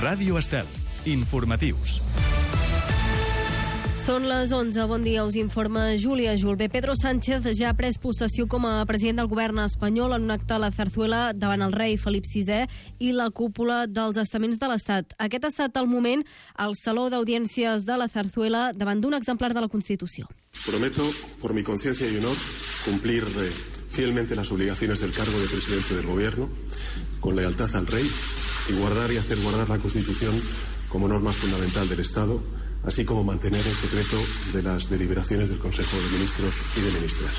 Ràdio Estel. Informatius. Són les 11. Bon dia, us informa Júlia Julbe. Pedro Sánchez ja ha pres possessió com a president del govern espanyol en un acte a la Zarzuela davant el rei Felip VI i la cúpula dels estaments de l'Estat. Aquest ha estat el moment al Saló d'Audiències de la Zarzuela davant d'un exemplar de la Constitució. Prometo, por mi conciencia y honor, cumplir fielmente las obligaciones del cargo de presidente del gobierno, con lealtad al rey y guardar y hacer guardar la Constitución como norma fundamental del Estado, así como mantener el secreto de las deliberaciones del Consejo de Ministros y de Ministras.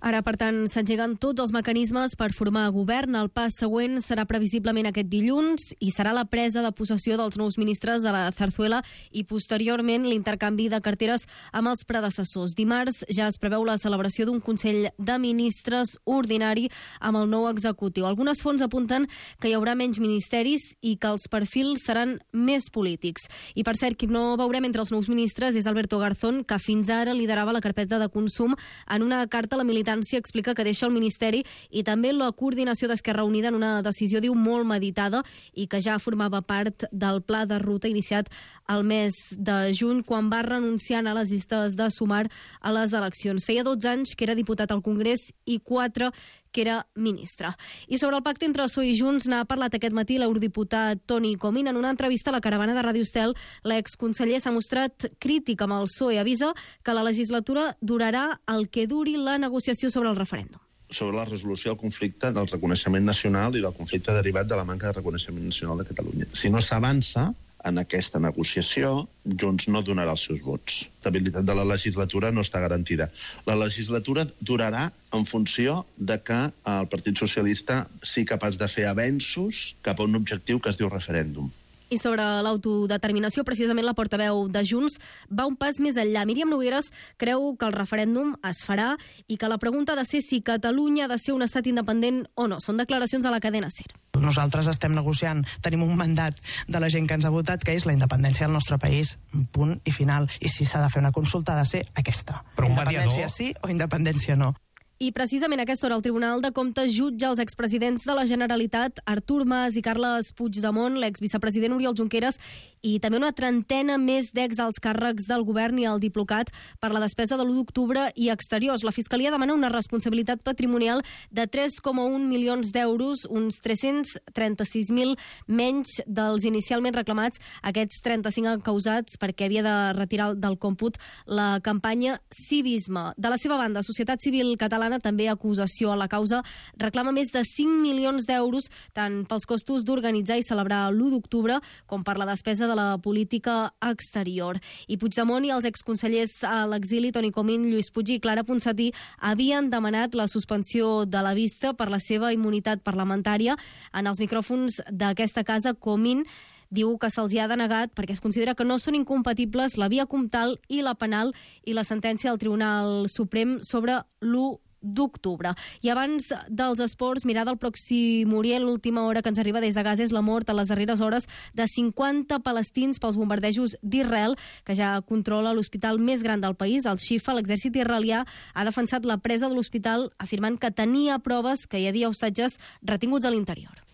Ara, per tant, s'engeguen tots els mecanismes per formar govern. El pas següent serà previsiblement aquest dilluns i serà la presa de possessió dels nous ministres a la Zarzuela i posteriorment l'intercanvi de carteres amb els predecessors. Dimarts ja es preveu la celebració d'un Consell de Ministres ordinari amb el nou executiu. Algunes fonts apunten que hi haurà menys ministeris i que els perfils seran més polítics. I per cert, qui no veurem entre els nous ministres és Alberto Garzón, que fins ara liderava la carpeta de consum. En una carta a la militància explica que deixa el Ministeri i també la coordinació d'Esquerra Unida en una decisió, diu, molt meditada i que ja formava part del pla de ruta iniciat el mes de juny quan va renunciar a les llistes de Sumar a les eleccions. Feia 12 anys que era diputat al Congrés i 4 que era ministre. I sobre el pacte entre PSOE i Junts n'ha parlat aquest matí l'eurodiputat Toni Comín. En una entrevista a la caravana de Ràdio Estel, l'exconseller s'ha mostrat crític amb el PSOE. Avisa que la legislatura durarà el que duri la negociació sobre el referèndum. Sobre la resolució del conflicte del reconeixement nacional i del conflicte derivat de la manca de reconeixement nacional de Catalunya. Si no s'avança en aquesta negociació, Junts no donarà els seus vots. L'estabilitat de la legislatura no està garantida. La legislatura durarà en funció de que el Partit Socialista sigui capaç de fer avenços cap a un objectiu que es diu referèndum. I sobre l'autodeterminació, precisament la portaveu de Junts va un pas més enllà. Míriam Nogueras creu que el referèndum es farà i que la pregunta ha de ser si Catalunya ha de ser un estat independent o no. Són declaracions a la cadena SER. Nosaltres estem negociant, tenim un mandat de la gent que ens ha votat, que és la independència del nostre país, punt i final. I si s'ha de fer una consulta ha de ser aquesta. Però independència sí o independència no. I precisament a aquesta hora el Tribunal de Comptes jutja els expresidents de la Generalitat, Artur Mas i Carles Puigdemont, l'exvicepresident Oriol Junqueras i també una trentena més d'exalts càrrecs del govern i el Diplocat per la despesa de l'1 d'octubre i exteriors. La Fiscalia demana una responsabilitat patrimonial de 3,1 milions d'euros, uns 336.000 menys dels inicialment reclamats, aquests 35 encausats perquè havia de retirar del còmput la campanya Civisme. De la seva banda, Societat Civil Catalana, també acusació a la causa, reclama més de 5 milions d'euros tant pels costos d'organitzar i celebrar l'1 d'octubre com per la despesa de la política exterior. I Puigdemont i els exconsellers a l'exili, Toni Comín, Lluís Puig i Clara Ponsatí, havien demanat la suspensió de la vista per la seva immunitat parlamentària. En els micròfons d'aquesta casa, Comín diu que se'ls ha denegat perquè es considera que no són incompatibles la via comtal i la penal i la sentència del Tribunal Suprem sobre l'1 d'octubre. I abans dels esports, mirada al Pròxim Orient, l'última hora que ens arriba des de Gaza és la mort a les darreres hores de 50 palestins pels bombardejos d'Israel, que ja controla l'hospital més gran del país, el Shifa. L'exèrcit israelià ha defensat la presa de l'hospital afirmant que tenia proves que hi havia hostatges retinguts a l'interior.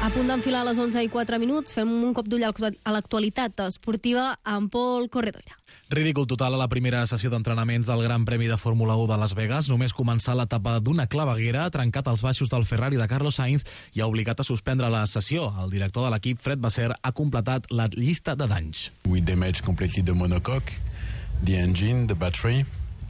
A punt d'enfilar a les 11:04, fem un cop d'ull a l'actualitat esportiva amb Pol Corredoira. Ridícul total a la primera sessió d'entrenaments del Gran Premi de Fórmula 1 de Las Vegas. Només començar l'etapa d'una claveguera ha trencat els baixos del Ferrari de Carlos Sainz i ha obligat a suspendre la sessió. El director de l'equip, Fred Vasseur, ha completat la llista de danys. We damaged completely the monocoque, the engine, the battery,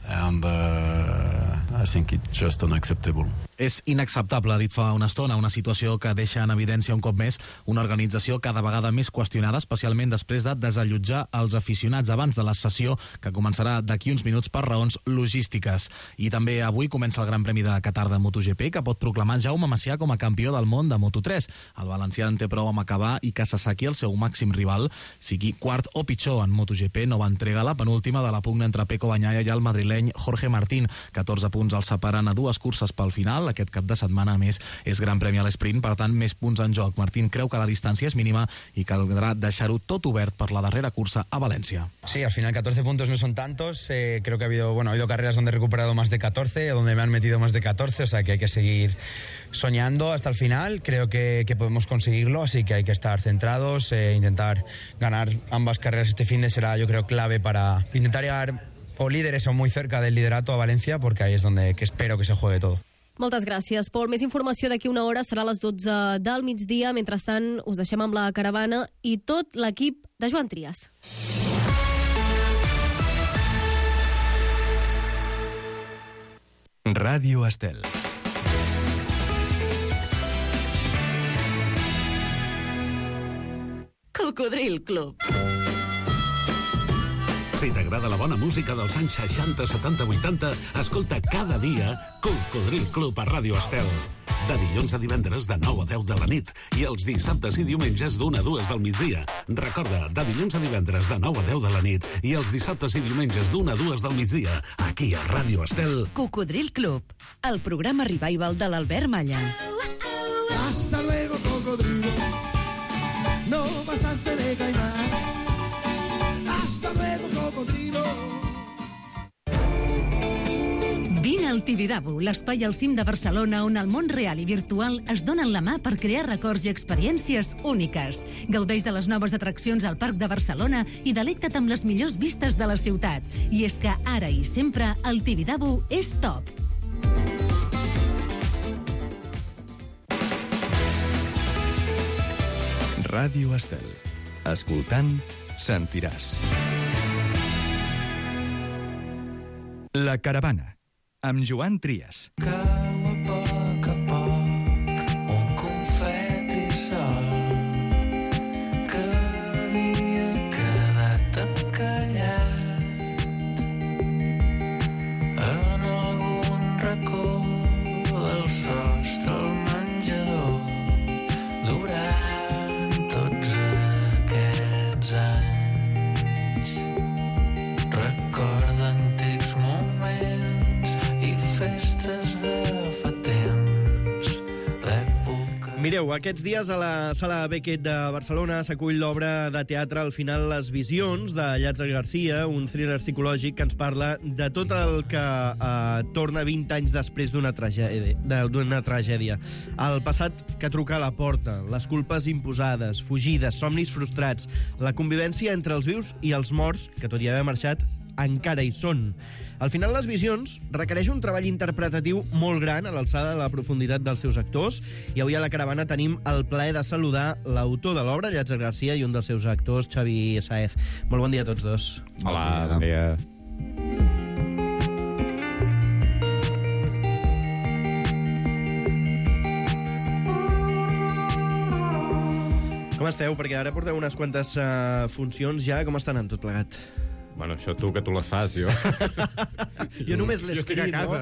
and I think it's just unacceptable. És inacceptable, ha dit fa una estona, una situació que deixa en evidència un cop més una organització cada vegada més qüestionada, especialment després de desallotjar els aficionats abans de la sessió, que començarà d'aquí uns minuts per raons logístiques. I també avui comença el Gran Premi de Qatar de MotoGP, que pot proclamar Jaume Macià com a campió del món de Moto3. El valencià en té prou amb acabar i que Sasaki, el seu màxim rival, sigui quart o pitjor en MotoGP. Nova entrega, la penúltima de la pugna entre Pecco Bagnaia i el madrileny Jorge Martín. 14 punts el separen a 2 curses pel final. Mundial. Aquest cap de setmana, a més, és Gran Premi a l'esprint, per tant, més punts en joc. Martín creu que la distància és mínima i caldrà deixar-ho tot obert per la darrera cursa a València. Sí, al final 14 puntos no son tantos. Creo que ha habido carreras donde he recuperado más de 14, donde me han metido más de 14, o sea que hay que seguir soñando hasta el final. Creo que podemos conseguirlo, así que hay que estar centrados, intentar ganar ambas carreras este fin de será, yo creo, clave para intentar llegar o líderes o muy cerca del liderato a Valencia, porque ahí es donde espero que se juegue todo. Moltes gràcies, Pol. Més informació d'aquí una hora, serà a les 12 del migdia. Mentrestant, us deixem amb la caravana i tot l'equip de Joan Trias. Ràdio Estel. Cocodril Club. Si t'agrada la bona música dels anys 60, 70, 80, escolta cada dia Cocodril Club a Ràdio Estel. De dilluns a divendres de 9 a 10 de la nit i els dissabtes i diumenges d'1 a 2 del migdia. Recorda, de dilluns a divendres de 9 a 10 de la nit i els dissabtes i diumenges d'1 a 2 del migdia, aquí a Ràdio Estel. Cocodril Club, el programa revival de l'Albert Malla. Hasta luego, cocodrilo. No pasaste de caimán. Hasta luego, cocodrilo. Vine al Tibidabo, l'espai al cim de Barcelona on el món real i virtual es donen la mà per crear records i experiències úniques. Gaudeix de les noves atraccions al Parc de Barcelona i delecta't amb les millors vistes de la ciutat. I és que ara i sempre el Tibidabo és top. Ràdio Estel. Escoltant, sentiràs. La caravana, amb Joan Trias. Cau a poc un confeti sol que havia quedat encallat en algun racó del sostre al menjador durant tots aquests anys. Recorda antics moments i festes de fa temps d'època. Mireu, aquests dies a la Sala Beckett de Barcelona s'acull l'obra de teatre Al final les visions, de Llàtzer Garcia, un thriller psicològic que ens parla de tot el que torna 20 anys després d'una tragèdia. El passat que truca a la porta, les culpes imposades, fugides, somnis frustrats, la convivència entre els vius i els morts, que tot i haver marxat, encara hi són. Al final, les visions requereix un treball interpretatiu molt gran a l'alçada de la profunditat dels seus actors, i avui a la caravana tenim el plaer de saludar l'autor de l'obra, Llàtzer Garcia, i un dels seus actors, Xavi Sáez. Molt bon dia a tots dos. Hola, bon dia. Com esteu? Perquè ara porteu unes quantes funcions ja. Com estan en tot plegat? Bueno, això tu, que tu les fas, jo. Jo només l'he escrit, no?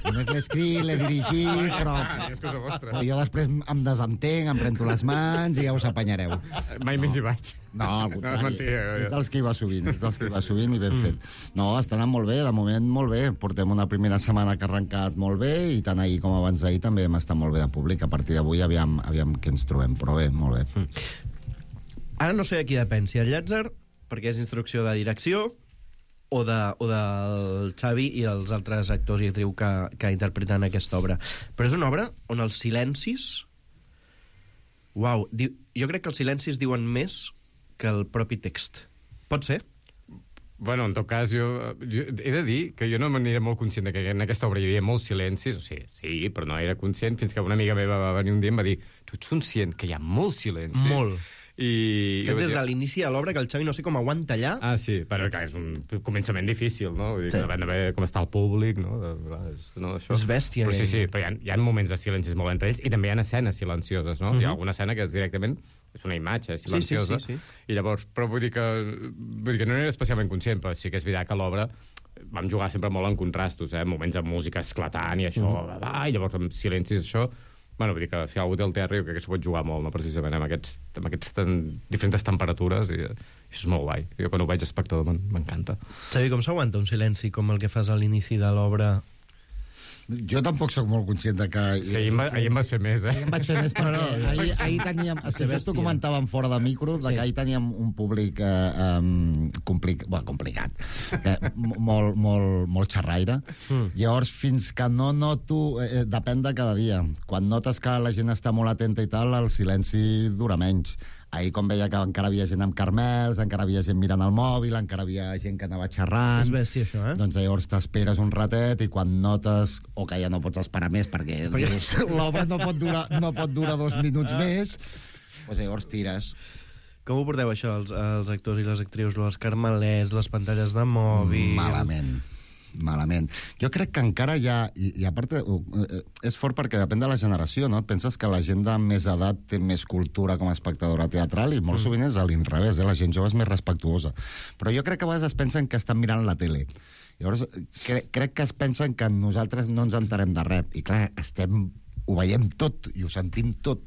Només l'he escrit, l'he dirigit, però... És cosa vostra. Jo després em desentenc, em prento les mans i ja us apanyareu. Mai més hi vaig. No, al contrari. No, és mentida. És dels que hi va sovint, i ben fet. No, està anant molt bé, de moment molt bé. Portem una primera setmana que ha arrencat molt bé i tant ahir com abans d'ahir també hem estat molt bé de públic. A partir d'avui aviam què ens trobem, però bé, molt bé. Ara no sé a qui depèn, si el Llàtzer, perquè és instrucció de direcció, o del Xavi i els altres actors i actrius que interpreten aquesta obra. Però és una obra on els silencis... Uau, jo crec que els silencis diuen més que el propi text. Pot ser? Bueno, en tot cas, jo he de dir que jo no m'aniré molt conscient que en aquesta obra hi havia molts silencis, o sigui, sí, però no era conscient, fins que una amiga meva va venir un dia i em va dir: tu ets conscient que hi ha molts silencis? Molt. Fet des de l'inici de l'obra, que el Xavi no sé com aguanta allà. Ah, sí, però és un començament difícil, no? Vull dir, sí. Depèn de veure com està el públic, no? Això. És bèstia. Però sí, però hi ha moments de silencis molt entre ells, i també hi ha escenes silencioses, no? Hi ha alguna escena que és directament... és una imatge silenciosa. Sí. I llavors, però vull dir que no era especialment conscient, però sí que és veritat que l'obra vam jugar sempre molt en contrastos, moments amb música esclatant i això, i llavors amb silencis, això... Bueno, vull dir que si algú té el teatre, jo crec que s'ho pot jugar molt, no? Precisament amb aquestes diferents temperatures, i això és molt guai. Jo quan ho veig espectador m'encanta. Xavi, com s'aguanta un silenci com el que fas a l'inici de l'obra? Jo tampoc sóc molt conscient de que... Ahir em vas fer més, Ahir em vaig fer més perquè ahir teníem... Just ho comentàvem fora de micro, que ahir teníem un públic complicat, molt xerraire. Llavors, fins que no noto... Depèn de cada dia. Quan notes que la gent està molt atenta i tal, el silenci dura menys. Ahir, com veia que encara havia gent amb carmels, encara havia gent mirant el mòbil, encara havia gent que anava xerrant... És bèstia, això, Doncs llavors t'esperes un ratet i quan notes o que ja no pots esperar més perquè dius, l'obra no pot durar 2 minuts més, doncs llavors tires. Com ho porteu, això, els actors i les actrius, els carmelets, les pantalles de mòbil... Malament. Jo crec que encara hi ha... I a part, és fort perquè depèn de la generació, no? Et penses que la gent de més edat té més cultura com a espectadora teatral i molt sovint és a l'inrevés, la gent jove és més respectuosa. Però jo crec que a vegades es pensen que estan mirant la tele. Llavors, crec que es pensen que nosaltres no ens enterem de res. I clar, ho veiem tot i ho sentim tot.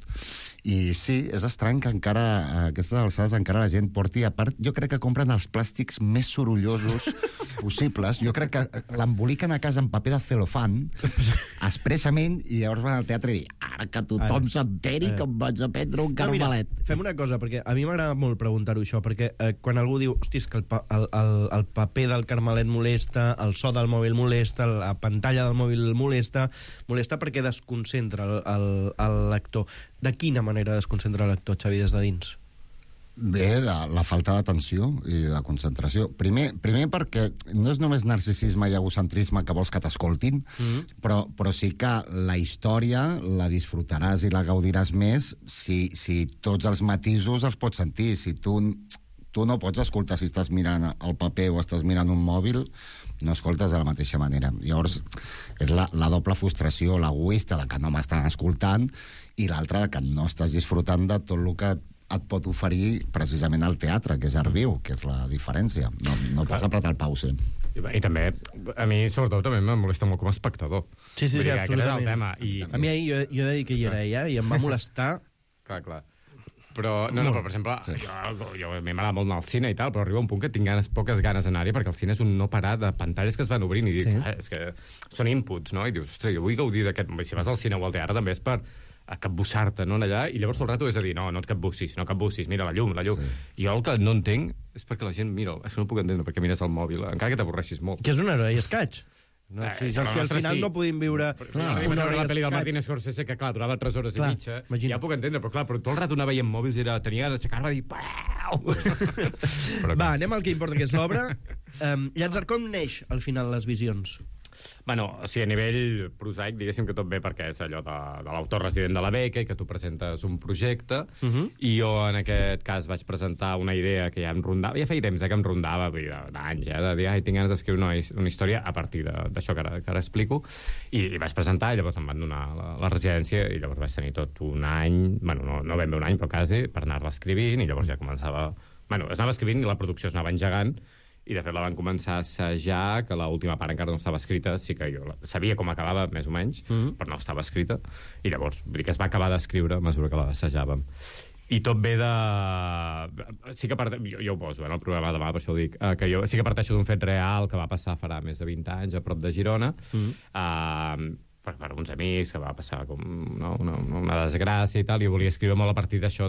I sí, és estrany que encara, a aquestes alçades, encara la gent porti... A part, jo crec que compren els plàstics més sorollosos possibles. Jo crec que l'emboliquen a casa en paper de celofan, expressament, i llavors van al teatre i dir, ara que tothom s'enteri que em vaig a prendre un carmelet. Mira, fem una cosa, perquè a mi m'agrada molt preguntar-ho això, perquè quan algú diu, hosti, és que el paper del carmelet molesta, el so del mòbil molesta, la pantalla del mòbil molesta perquè desconcentra el lector. De quina manera desconcentra el lector, Xavi, des de dins? Bé, de la falta d'atenció i de concentració. Primer perquè no és només narcisisme i egocentrisme que vols que t'escoltin, però sí que la història la disfrutaràs i la gaudiràs més si tots els matisos els pots sentir. Si tu no pots escoltar si estàs mirant el paper o estàs mirant un mòbil, no escoltes de la mateixa manera. Llavors, és la doble frustració, l'egoista de que no m'estan escoltant i l'altra de que no estàs disfrutant de tot el que et pot oferir precisament el teatre, que és art viu, que és la diferència. No pots apretar el pause. I també, a mi, sobretot, també em molesta molt com a espectador. Sí, absolutament. El tema. A mi ahir, jo he de dir que hi era i em va molestar... Clar. Però, però per exemple, jo a mi m'agrada molt anar al cine i tal, però arriba un punt que tinc poques ganes d'anar-hi perquè el cine és un no parar de pantalles que es van obrint i dic, és que són inputs, no? I dius, ostres, jo vull gaudir d'aquest... Si vas al cine o al teatre també és per capbussar-te, no, allà, i llavors tot el rato és a dir, no et capbussis, mira la llum. I jo el que no entenc és perquè la gent mira, és que no puc entendre perquè mires el mòbil, encara que t'avorreixis molt. Que és una hora i escaig. Al final no podíem viure una hora la pel·li del Martin Scorsese que, clar, durava 3 hores i mitja, ja puc entendre, però clar, tot el rato anava veient mòbils i tenia ganes d'aixecar-me a dir pareu! Va, anem al que importa, que és l'obra. Llàtzer, com neix al final les visions? Bueno, o sigui, a nivell prosaic, diguéssim que tot bé perquè és allò de l'autor resident de la beca i que tu presentes un projecte, i jo en aquest cas vaig presentar una idea que ja em rondava, ja feia temps que em rondava, d'anys, de dir, tinc ganes d'escriure una història a partir d'això que ara explico, i vaig presentar, i llavors em van donar la residència, i llavors vaig tenir tot un any, bueno, no ben bé un any, però quasi, per anar-la escrivint, i llavors ja començava... Bueno, es anava escrivint i la producció es anava engegant, i de fet la van començar a assajar, que l'última part encara no estava escrita, sí que jo sabia com acabava, més o menys, però no estava escrita, i llavors vull dir que es va acabar d'escriure a mesura que la assajàvem. I tot ve de... Sí que jo ho poso en el programa demà, per això ho dic, que jo sí que parteixo d'un fet real que va passar farà més de 20 anys a prop de Girona, per uns amics, que va passar com una desgràcia i tal, i jo volia escriure molt a partir d'això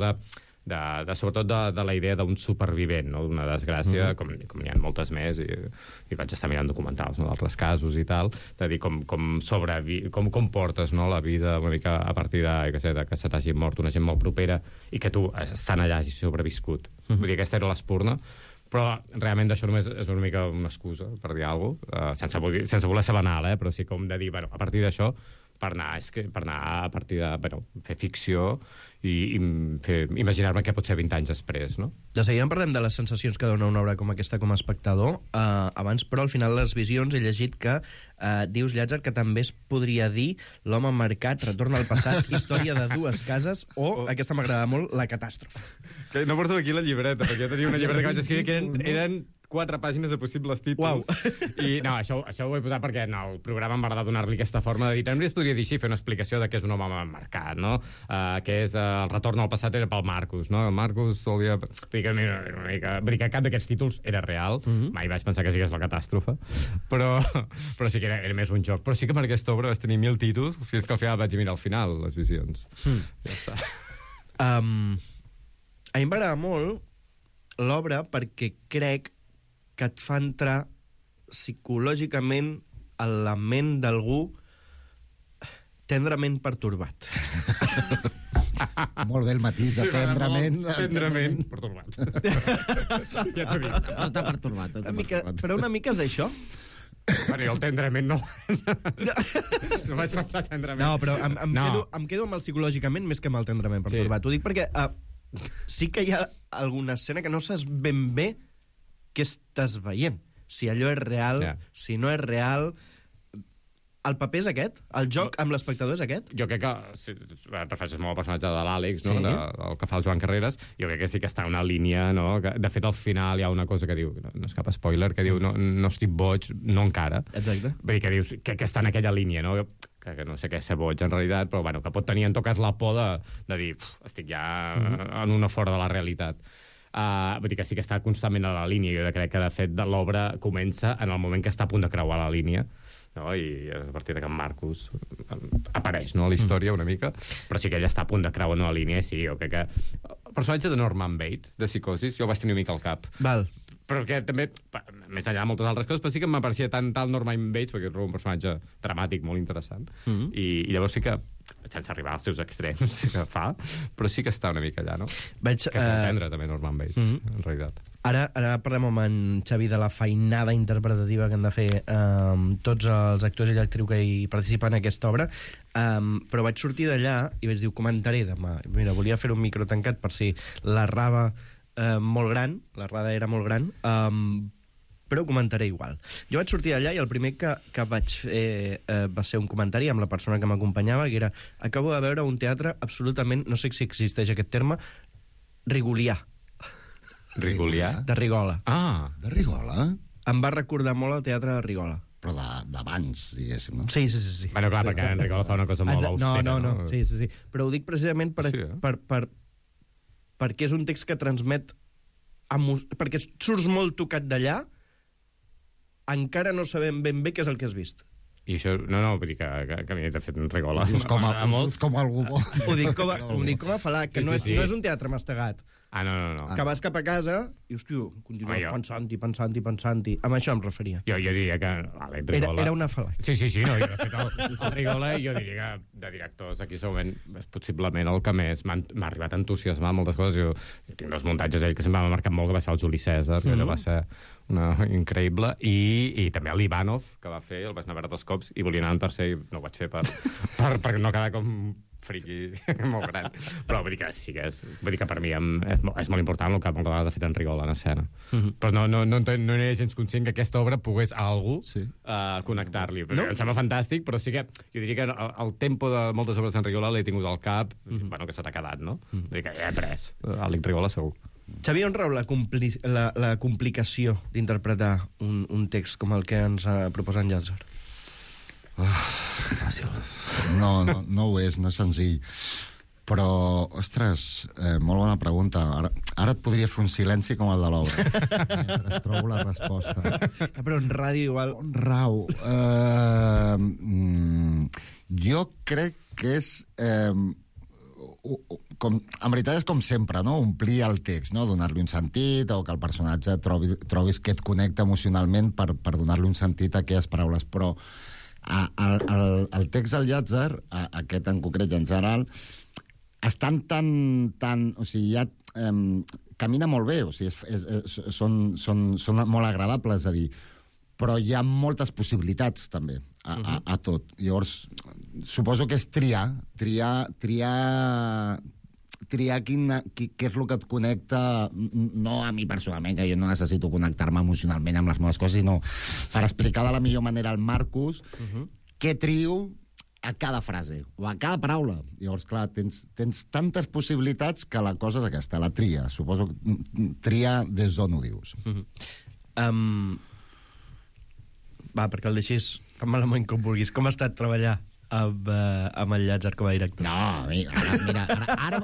sobretot de la idea d'un supervivent, no? D'una desgràcia, com n'hi ha moltes més, i vaig estar mirant documentals d'altres casos i tal, de dir com portes la vida una mica a partir de que se t'hagi mort una gent molt propera i que tu, estant allà, hagis sobreviscut. Vull dir, aquesta era l'espurna, però realment això només és una mica una excusa per dir alguna cosa, sense voler ser banal, però sí com de dir, a partir d'això, per anar a partir de fer ficció i imaginar-me què pot ser 20 anys després, no? De seguida parlem de les sensacions que dona una obra com aquesta com a espectador. Abans, però, al final les visions he llegit que dius, Llàtzer, que també es podria dir L'home marcat, Retorn al passat, Història de dues cases o, aquesta m'agrada molt, La catàstrofe. No porto aquí la llibreta, perquè jo tenia una llibreta que vaig escriure que eren 4 pàgines de possibles títols. I no, això ho he posat perquè en el programa m'agrada donar-li aquesta forma de dir. També es podria dir així, fer una explicació de què és un home marcat, no? Què és el retorn al passat era pel Marcus, no? El Marcus volia... Vull dir que cap d'aquests títols era real. Mai vaig pensar que sigués la catàstrofe. Però sí que era més un joc. Però sí que per aquesta obra vas tenir 1000 títols fins que al final vaig mirar al final les visions. Ja està. A mi m'agrada molt l'obra perquè crec que et fa entrar psicològicament a la ment d'algú tendrament pertorbat. Molt bé el matís de tendrament. Tendrament pertorbat. Ja t'ho dic. Està pertorbat. Però una mica és això. Bueno, el tendrament no. No vaig pensar tendrament. No, però em quedo amb el psicològicament més que amb el tendrament pertorbat. Ho dic perquè sí que hi ha alguna escena que no saps ben bé què estàs veient. Si allò és real, si no és real... El paper és aquest? El joc amb l'espectador és aquest? Jo crec que, si et refereixes molt al personatge de l'Àlex, no? El que fa el Joan Carreras, jo crec que sí que està una línia, no? Que, de fet, al final hi ha una cosa que diu, no és cap spoiler, que diu, no estic boig, no encara. Exacte. Vull dir que dius que està en aquella línia, no? Que no sé què és ser boig, en realitat, però bueno, que pot tenir en tot cas la por de dir, estic ja en una fora de la realitat. Vull dir que sí que està constantment a la línia. Jo crec que, de fet, l'obra comença en el moment que està a punt de creuar la línia, no? I a partir de que en Marcus apareix, no?, a la història una mica, però sí que ella està a punt de creuar una línia, i sí, jo crec que el personatge de Norman Bates, de Psicosis, jo el vaig tenir una mica al cap. Val. Però que també, més enllà de moltes altres coses, però sí que m'apareixia tant Norman Bates, perquè és un personatge dramàtic molt interessant, i llavors sí que, sense arribar als seus extrems que fa, però sí que està una mica allà, no? Que és molt tendre, també, Norman Bates, en realitat. Ara parlem amb en Xavi de la feinada interpretativa que han de fer tots els actors i l'actriu que hi participen en aquesta obra, però vaig sortir d'allà i vaig dir, comentaré demà. Mira, volia fer un micro tancat per si la rava molt gran, la rada era molt gran, però ho comentaré igual. Jo vaig sortir d'allà i el primer que vaig fer va ser un comentari amb la persona que m'acompanyava, que era, acabo de veure un teatre absolutament, no sé si existeix aquest terme, rigolià. Rigolià? De Rigola. Ah! De Rigola? Em va recordar molt el teatre de Rigola. Però d'abans, diguéssim, no? Sí. Bueno, clar, perquè en Rigola fa una cosa molt austera. No. Sí. Però ho dic precisament perquè és un text que transmet... Perquè surts molt tocat d'allà, encara no sabem ben bé què és el que has vist. I això, no, vull dir que a mi, de fet, en Rigola... Com algú bo. Ho dic com a falar, que no és un teatre mastegat. No. Que vas cap a casa i, hòstia, continues pensant-hi. Amb això em referia. Jo diria que l'Àlex Rigola... Era una fal·làcia. Sí, no, de fet, el Rigola, jo diria que de directors aquí segurament és possiblement el que més m'ha arribat a entusiasmar moltes coses. Jo tinc dos muntatges d'ell que sempre m'ha marcat molt, que va ser el Juli César, que allò va ser increïble, i també l'Ivanov, que va fer, el vaig anar a veure 2 cops, i volia anar en tercer, i no ho vaig fer per no quedar com friqui molt gran. Però vull dir que sí que vull dir que per mi és molt important el que moltes vegades ha fet en Rigola en escena. Però no era gens conscient que aquesta obra pogués a algú connectar-li. Em sembla fantàstic, però sí que jo diria que el tempo de moltes obres d'en Rigola l'he tingut al cap, bueno, que se t'ha quedat, no? Vull dir que he après Àlex Rigola segur. Xavier, on rau la complicació d'interpretar un text com el que ens proposa en Llàtzer? Fàcil. No ho és, no és senzill. Però, ostres, molt bona pregunta. Ara et podria fer un silenci com el de l'obra, mentre trobo la resposta. Però en ràdio igual... On rau? Jo crec que és... en veritat és com sempre, no? Omplir el text, no? Donar-li un sentit, o que el personatge trobis que et connecta emocionalment per donar-li un sentit a aquelles paraules. Però el text del Llàtzer, aquest en concret i en general, estan tan... O sigui, ja camina molt bé, o sigui, són molt agradables, és a dir, però hi ha moltes possibilitats, també, a tot. Llavors, suposo que és triar què és el que et connecta, no a mi personalment, que jo no necessito connectar-me emocionalment amb les meves coses, sinó per explicar de la millor manera al Marcus què trio a cada frase, o a cada paraula. Llavors, clar, tens tantes possibilitats que la cosa és aquesta, la tria. Suposo que tria des d'on ho dius. Va, perquè el deixis tan malament com vulguis. Com ha estat treballar amb el Llàtzer com a director? No, mira, ara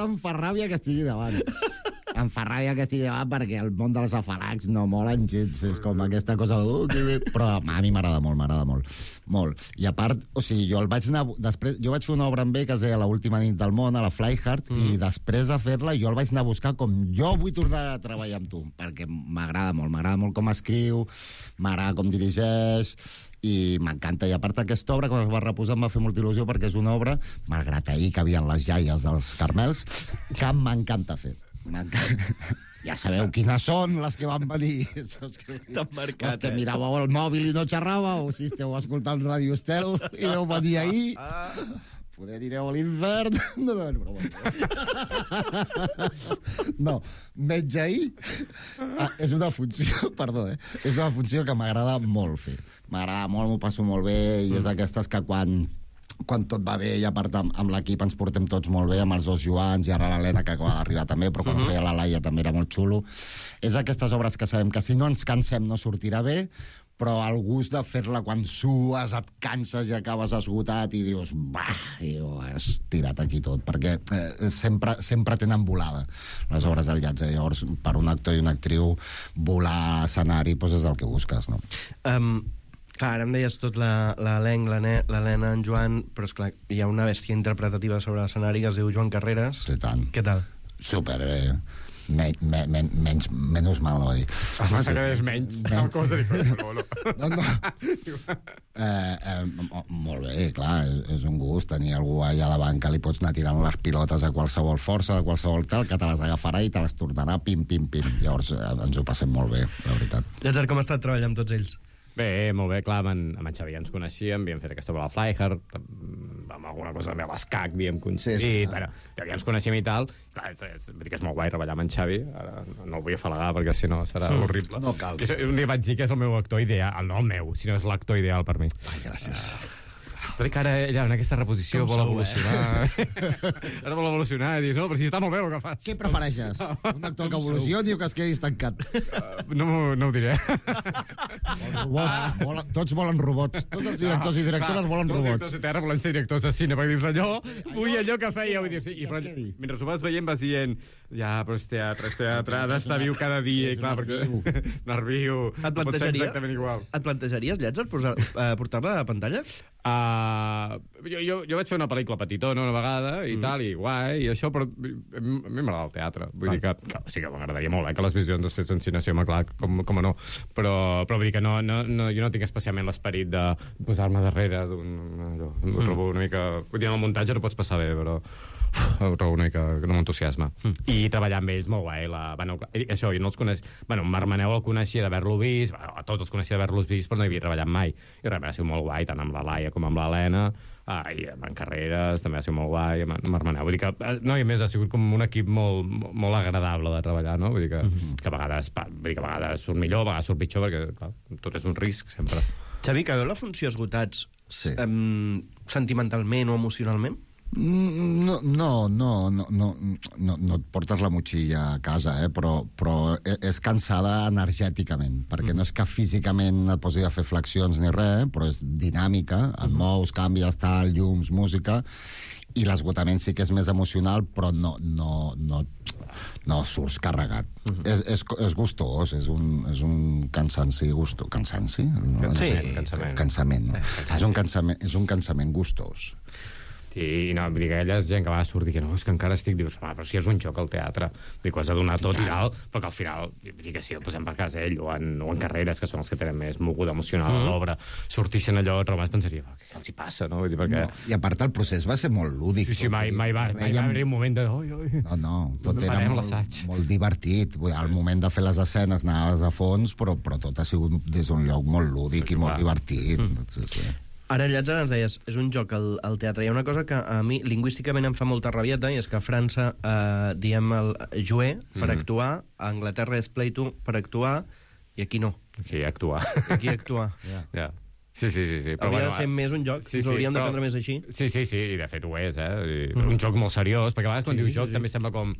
em fa ràbia que estigui davant. Em fa ràbia que estigui davant perquè el món dels afalacs no molen gens, és com aquesta cosa de... Però a mi m'agrada molt. I a part, o sigui, jo vaig fer una obra amb ell que es deia L'última nit del món, a la Flyhard, i després de fer-la jo el vaig anar a buscar com jo vull tornar a treballar amb tu, perquè m'agrada molt com escriu, m'agrada com dirigeix, i m'encanta. I a part aquesta obra, quan es va reposar, em va fer molta il·lusió perquè és una obra, malgrat ahir que havien les jaies dels Carmels, que m'encanta fer. Ja sabeu quines són les que van venir. Les que miràveu el mòbil i no xerràveu, si esteu escoltant Radio Estel i veu venir ahir, poder anireu a l'infern. No, menys ahir és una funció, perdó, és una funció que m'agrada molt fer. M'agrada molt, m'ho passo molt bé, i és d'aquestes que quan tot va bé, i a part amb l'equip ens portem tots molt bé, amb els dos Joans i ara l'Helena, que acaba d'arribar també, però quan feia la Laia també era molt xulo. És aquestes obres que sabem que si no ens cansem no sortirà bé, però el gust de fer-la quan sues, et canses i acabes esgotat i dius, has tirat aquí tot, perquè sempre tenen volada les obres del Llàtzer. Llavors, per un actor i una actriu, volar a escenari és el que busques, no? Clar, ara em deies tot l'elenc, l'Helena, en Joan, però esclar, hi ha una bèstia interpretativa sobre l'escenari que es diu Joan Carreras. Sí, tant. Què tal? Superbé. Menys mal, no va dir. És menys. Molt bé, clar, és un gust tenir algú allà davant que li pots anar tirant les pilotes a qualsevol força, de qualsevol tal, que te les agafarà i te les tornarà pim. Llavors ens ho passem molt bé, la veritat. Llàtzer, com ha estat treballar amb tots ells? Bé, molt bé, clar, amb en Xavi ens coneixíem, havíem fet aquesta obra a la Flyhard, amb alguna cosa també a l'Escac havíem coincidit, bueno, ja ens coneixíem i tal. Clar, és molt guai treballar amb en Xavi, ara no el vull afalagar perquè si no serà horrible. No cal. Un dia vaig dir que és el meu actor ideal, no el meu, sinó és l'actor ideal per mi. Ai, gràcies. Però que ara ella en aquesta reposició vol evolucionar. Ara vol evolucionar i dir, no, però si està molt bé el que fas. Què prefereixes? Un actor que evolucioni o que es quedi estancat? No ho diré. Robots. Tots volen robots. Tots els directors i directores volen robots. Tots els directors de terra volen ser directors de cine, perquè dius allò, vull allò que feia. Mentre ho vas veient vas dient, ja, però és teatre, ha d'estar viu cada dia, i clar, perquè nerviu, pot ser exactament igual. Et plantejaries, Llàtzer, portar-la a la pantalla? Jo vaig fer una pel·lícula petitona una vegada i tal, i guai, i això, però a mi m'agrada el teatre. Vull dir que sí que m'agradaria molt que les visions es fessin cine, clar, com no. Però vull dir que jo no tinc especialment l'esperit de posar-me darrere d'un trobo una mica... Vull dir, en el muntatge no pots passar bé, però ho trobo una mica que no m'entusiasma. I treballar amb ells, molt guai. Això, jo no els coneix... Bueno, Marc Maneu el coneixia d'haver-lo vist, a tots els coneixia d'haver-los vist, però no hi havia treballat mai. I res, ha sigut molt guai, tant amb la Laia com amb l'Helena, i amb en Carreras també ha sigut molt guai, amb Marc Maneu. Vull dir que, no, i a més ha sigut com un equip molt agradable de treballar, no? Vull dir que a vegades surt millor, a vegades surt pitjor, perquè clar, tot és un risc, sempre. Xavi, que veu la funció esgotats sentimentalment o emocionalment? No et portes la motxilla a casa, però és cansada energèticament, perquè no és que físicament et posi a fer flexions ni res, però és dinàmica, et mous, canvies, tal, llums, música, i l'esgotament sí que és més emocional, però no surts carregat. És gustós, és un cansanci gustós. Cansanci? Cansament, no? És un cansament gustós. I no, vull dir que ella és gent que va sortir que no, és que encara estic, dius, però si és un joc al teatre, dic que has de donar tot i tal, però que al final, vull dir que si el posem per casa ell o en Carreras, que són els que tenen més moguda emocional a l'obra, sortissin allò, Romà es pensaria, què els hi passa, no? Vull dir, perquè... I a part el procés va ser molt lúdic. Sí, mai va haver un moment de... No, tot era molt divertit. Al moment de fer les escenes anaves a fons, però tot ha sigut des d'un lloc molt lúdic i molt divertit. Sí. Ara, Llàtzer, ens deies, és un joc al teatre. Hi ha una cosa que a mi lingüísticament em fa molta rabieta, i és que a França diem el jouer per actuar, a Anglaterra és play to per actuar, i aquí no. Aquí actuar. Ja. Sí. Hauria de ser més un joc, si l'hauríem de prendre més així. Sí, i de fet ho és, un joc molt seriós, perquè a vegades quan dius joc també sembla com...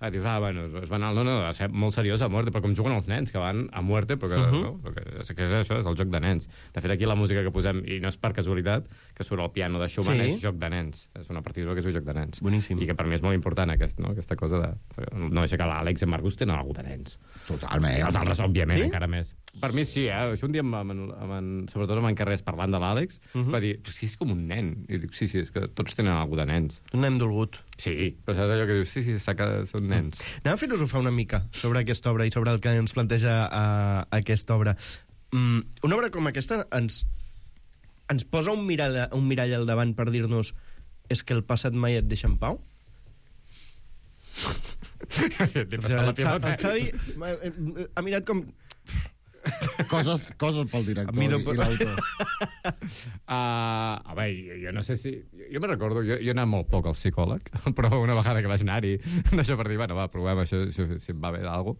dius, bueno, es van al... No, és molt seriós a muerte, però com juguen els nens, que van a muerte, perquè, no? Perquè és això, és el joc de nens. De fet, aquí la música que posem, i no és per casualitat, que surt el piano de Schumann, és joc de nens. És una partitura que és un joc de nens. Boníssim. I que per mi és molt important, aquesta cosa de... No deixa que l'Àlex i en Marcus tenen alguna de nens. Totalment. I els altres, òbviament, encara més. Per mi sí, Això un dia, sobretot amb en Carrés, parlant de l'Àlex, va dir, sí, és com un nen. I dic, sí, és que tots tenen alguna de nens. Un nen dolgut. Sí, però saps allò que dius, sí, són nens. Anem a filosofar una mica sobre aquesta obra i sobre el que ens planteja aquesta obra. Una obra com aquesta ens posa un mirall al davant per dir-nos és que el passat mai et deixa en pau? El Xavi ha mirat com... Coses pel director i l'autor. A veure, jo no sé si... Jo me'n recordo, jo he anat molt poc al psicòleg, però una vegada que vaig anar-hi, d'això per dir, bueno, va, provem això, si em va bé d'algú.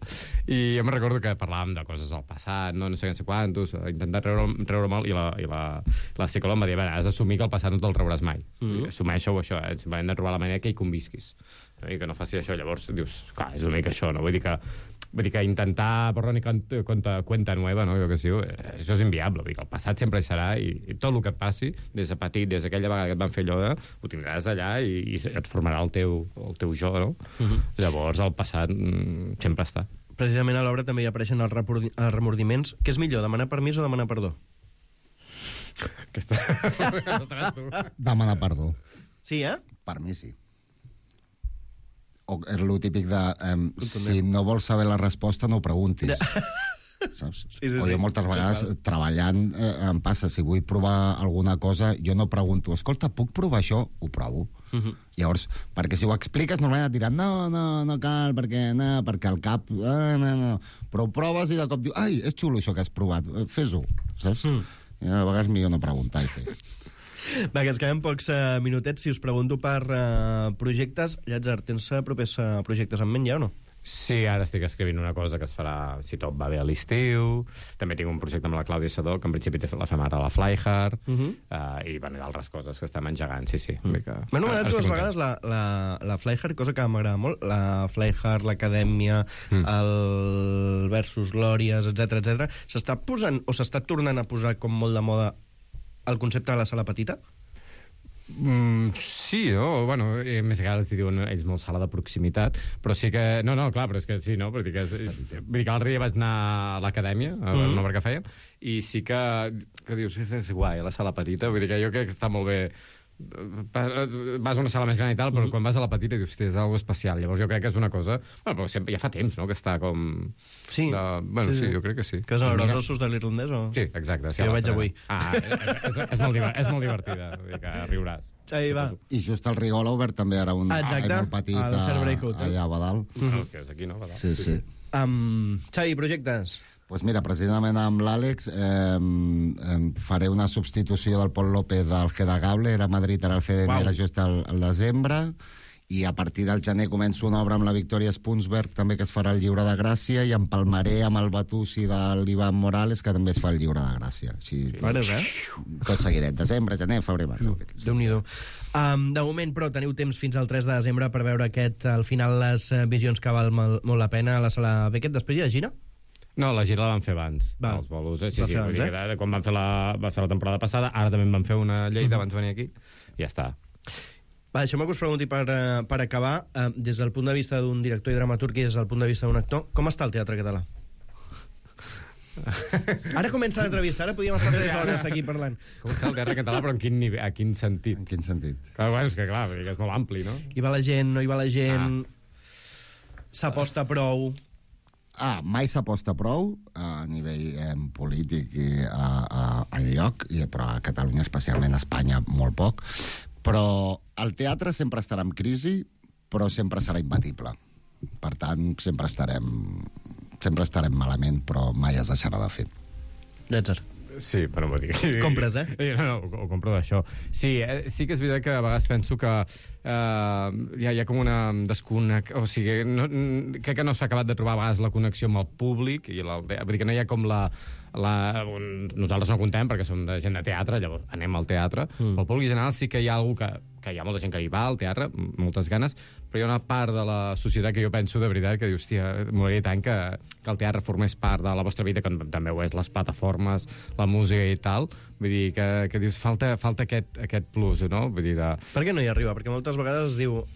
I jo me'n recordo que parlàvem de coses del passat, no sé quantos, intentar treure mal, i la psicòloga em va dir, has d'assumir que el passat no te'l trauràs mai. Assumeixo això, simplement de trobar la manera que hi convisquis. I que no faci això, llavors dius, clar, és una mica això, no? Vull dir que intentar borrar ni cuenta nueva, no? Jo que sí, això és inviable. Vull dir que el passat sempre hi serà i tot el que et passi, des de petit, des d'aquella vegada que et van fer allò, ho tindràs allà i et formarà el teu jo, no? Llavors el passat sempre està. Precisament a l'obra també hi apareixen els remordiments. Què és millor, demanar permís o demanar perdó? Demanar perdó. Sí, Per mi sí. O és lo típic de si no vols saber la resposta no ho preguntis. Saps? Sí. O jo moltes vegades treballant em passa, si vull provar alguna cosa jo no pregunto, escolta, puc provar això? Ho provo. Llavors, perquè si ho expliques normalment et diran no cal, perquè el cap no. Però ho proves i de cop diu, ai, és xulo això que has provat, fes-ho, saps? I a vegades millor no preguntar i fer. Va, que ens queden pocs minutets. Si us pregunto per projectes, Llàtzer, tens propers projectes en ment ja o no? Sí, ara estic escrivint una cosa que es farà, si tot va bé, a l'estiu. També tinc un projecte amb la Clàudia Sadó, que en principi la fem ara a la Flyhard, i d'altres coses que estem engegant, sí. M'he anomenat dues vegades la Flyhard, cosa que m'agrada molt. La Flyhard, l'Acadèmia, el Versus Glòries, etc. S'està posant, o s'està tornant a posar com molt de moda el concepte de la sala petita? Sí, no? Bueno, més que els diuen ells molt sala de proximitat, però sí que... No, clar, però és que sí, no? Vull dir que l'altre dia vaig anar a l'acadèmia, a una obra que feien, i sí que dius, és guai, la sala petita, vull dir que jo crec que està molt bé. Vas a una sala més gran i tal, però quan vas a la petita dius, és algo especial. Llavors jo crec que és una cosa... Bueno, però sempre, ja fa temps, no?, que està com... Sí. Sí, jo crec que sí. Que és els ossos de l'irlandès, o...? Sí, exacte. Jo veig avui. És molt divertida, vull dir que riuràs. Xavi, va. I just el Rigol ha obert també ara un molt petit allà a Badal. Que és aquí, no? Badal. Sí. Xavi, projectes? Doncs mira, precisament amb l'Àlex faré una substitució del Pol López del Gedagable, era a Madrid, ara el CDN, era just al desembre, i a partir del gener començo una obra amb la Victòria Spunsberg, també, que es farà el Lliure de Gràcia, i empalmaré amb el Batussi de l'Ivan Morales, que també es fa el Lliure de Gràcia. Així, tot seguidet, desembre, gener, febrer, març. Déu-n'hi-do. De moment, però, teniu temps fins al 3 de desembre per veure al final les visions que val molt la pena a la sala Beckett. Després hi ha gira? No, la gira la van fer abans, els bolos. Sí, vull dir que quan van fer va ser la temporada passada, ara també en van fer una Lleida abans de venir aquí, i ja està. Va, deixeu-me que us pregunti per acabar, des del punt de vista d'un director i dramaturg i des del punt de vista d'un actor, com està el teatre català? Ara comença l'entrevista, ara podíem estar 3 hores aquí parlant. Com està el teatre català, però a quin sentit? En quin sentit? Bueno, és que clar, és molt ampli, no? Hi va la gent, no hi va la gent, s'aposta prou... Mai s'aposta prou a nivell polític i enlloc, però a Catalunya, especialment a Espanya, molt poc. Però el teatre sempre estarà en crisi, però sempre serà imbatible. Per tant, sempre estarem malament, però mai es deixarà de fer. Llàtzer. Sí, però no m'ho digui. Compres, No, ho compro d'això. Sí que és veritat que a vegades penso que hi ha com una desconnexió, o sigui, crec que no s'ha acabat de trobar a vegades la connexió amb el públic, vull dir que no hi ha com nosaltres no contem perquè som de gent de teatre, llavors anem al teatre, però al públic general sí que hi ha algú que hi ha molta gent que hi va al teatre, moltes ganes, però hi ha una part de la societat que jo penso de veritat que diu, hòstia, m'agradaria tant que el teatre formés part de la vostra vida, que també ho és les plataformes, la música i tal, vull dir que dius, falta aquest plus, no? Vull dir Per què no hi arriba? Perquè moltes vegades es diu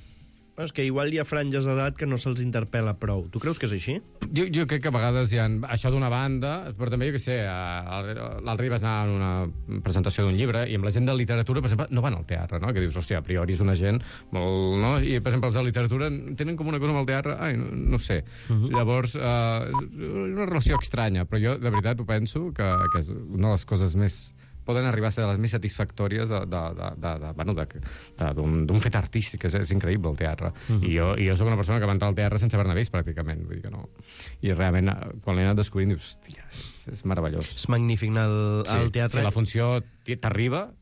és que igual hi ha franges d'edat que no se'ls interpel·la prou. Tu creus que és així? Jo crec que a vegades hi ha això d'una banda, però també, jo què sé, l'altre dia vas anar a una presentació d'un llibre i amb la gent de literatura, per exemple, no van al teatre, no? Que dius, hòstia, a priori és una gent molt... No? I, per exemple, els de literatura tenen com una cosa amb el teatre, no sé. Llavors, una relació estranya, però jo, de veritat, ho penso que és una de les coses més... poden arribar a ser de les més satisfactòries d'un fet artístic. És increïble, el teatre. I jo soc una persona que va entrar al teatre sense haver-ne vist, pràcticament. Vull dir que no. I realment, quan l'he anat descobrint, dius, hòstia, és meravellós. És magnífic anar al teatre. Si la funció t'arriba...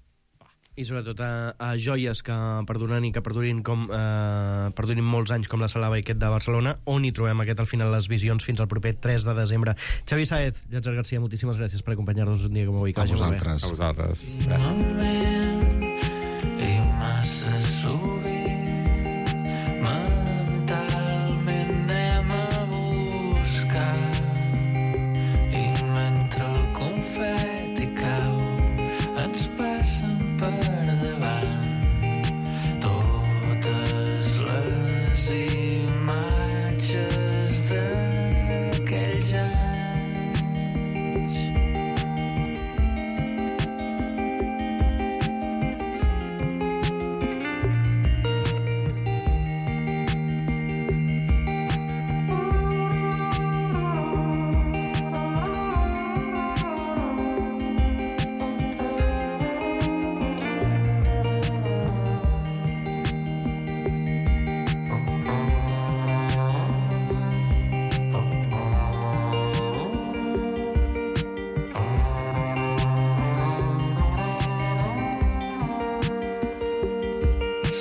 I sobretot a joies que perduren i que perdurin molts anys, com la Sala Baiquet de Barcelona, on hi trobem al final les visions fins al proper 3 de desembre. Xavi Sáez, Llàtzer Garcia, moltíssimes gràcies per acompanyar-nos un dia com avui. A vosaltres. A vosaltres. Gràcies. I massa sovint mentalment anem a buscar, i mentre el confeti cau ens passen per davant totes les imatges d'aquells anys.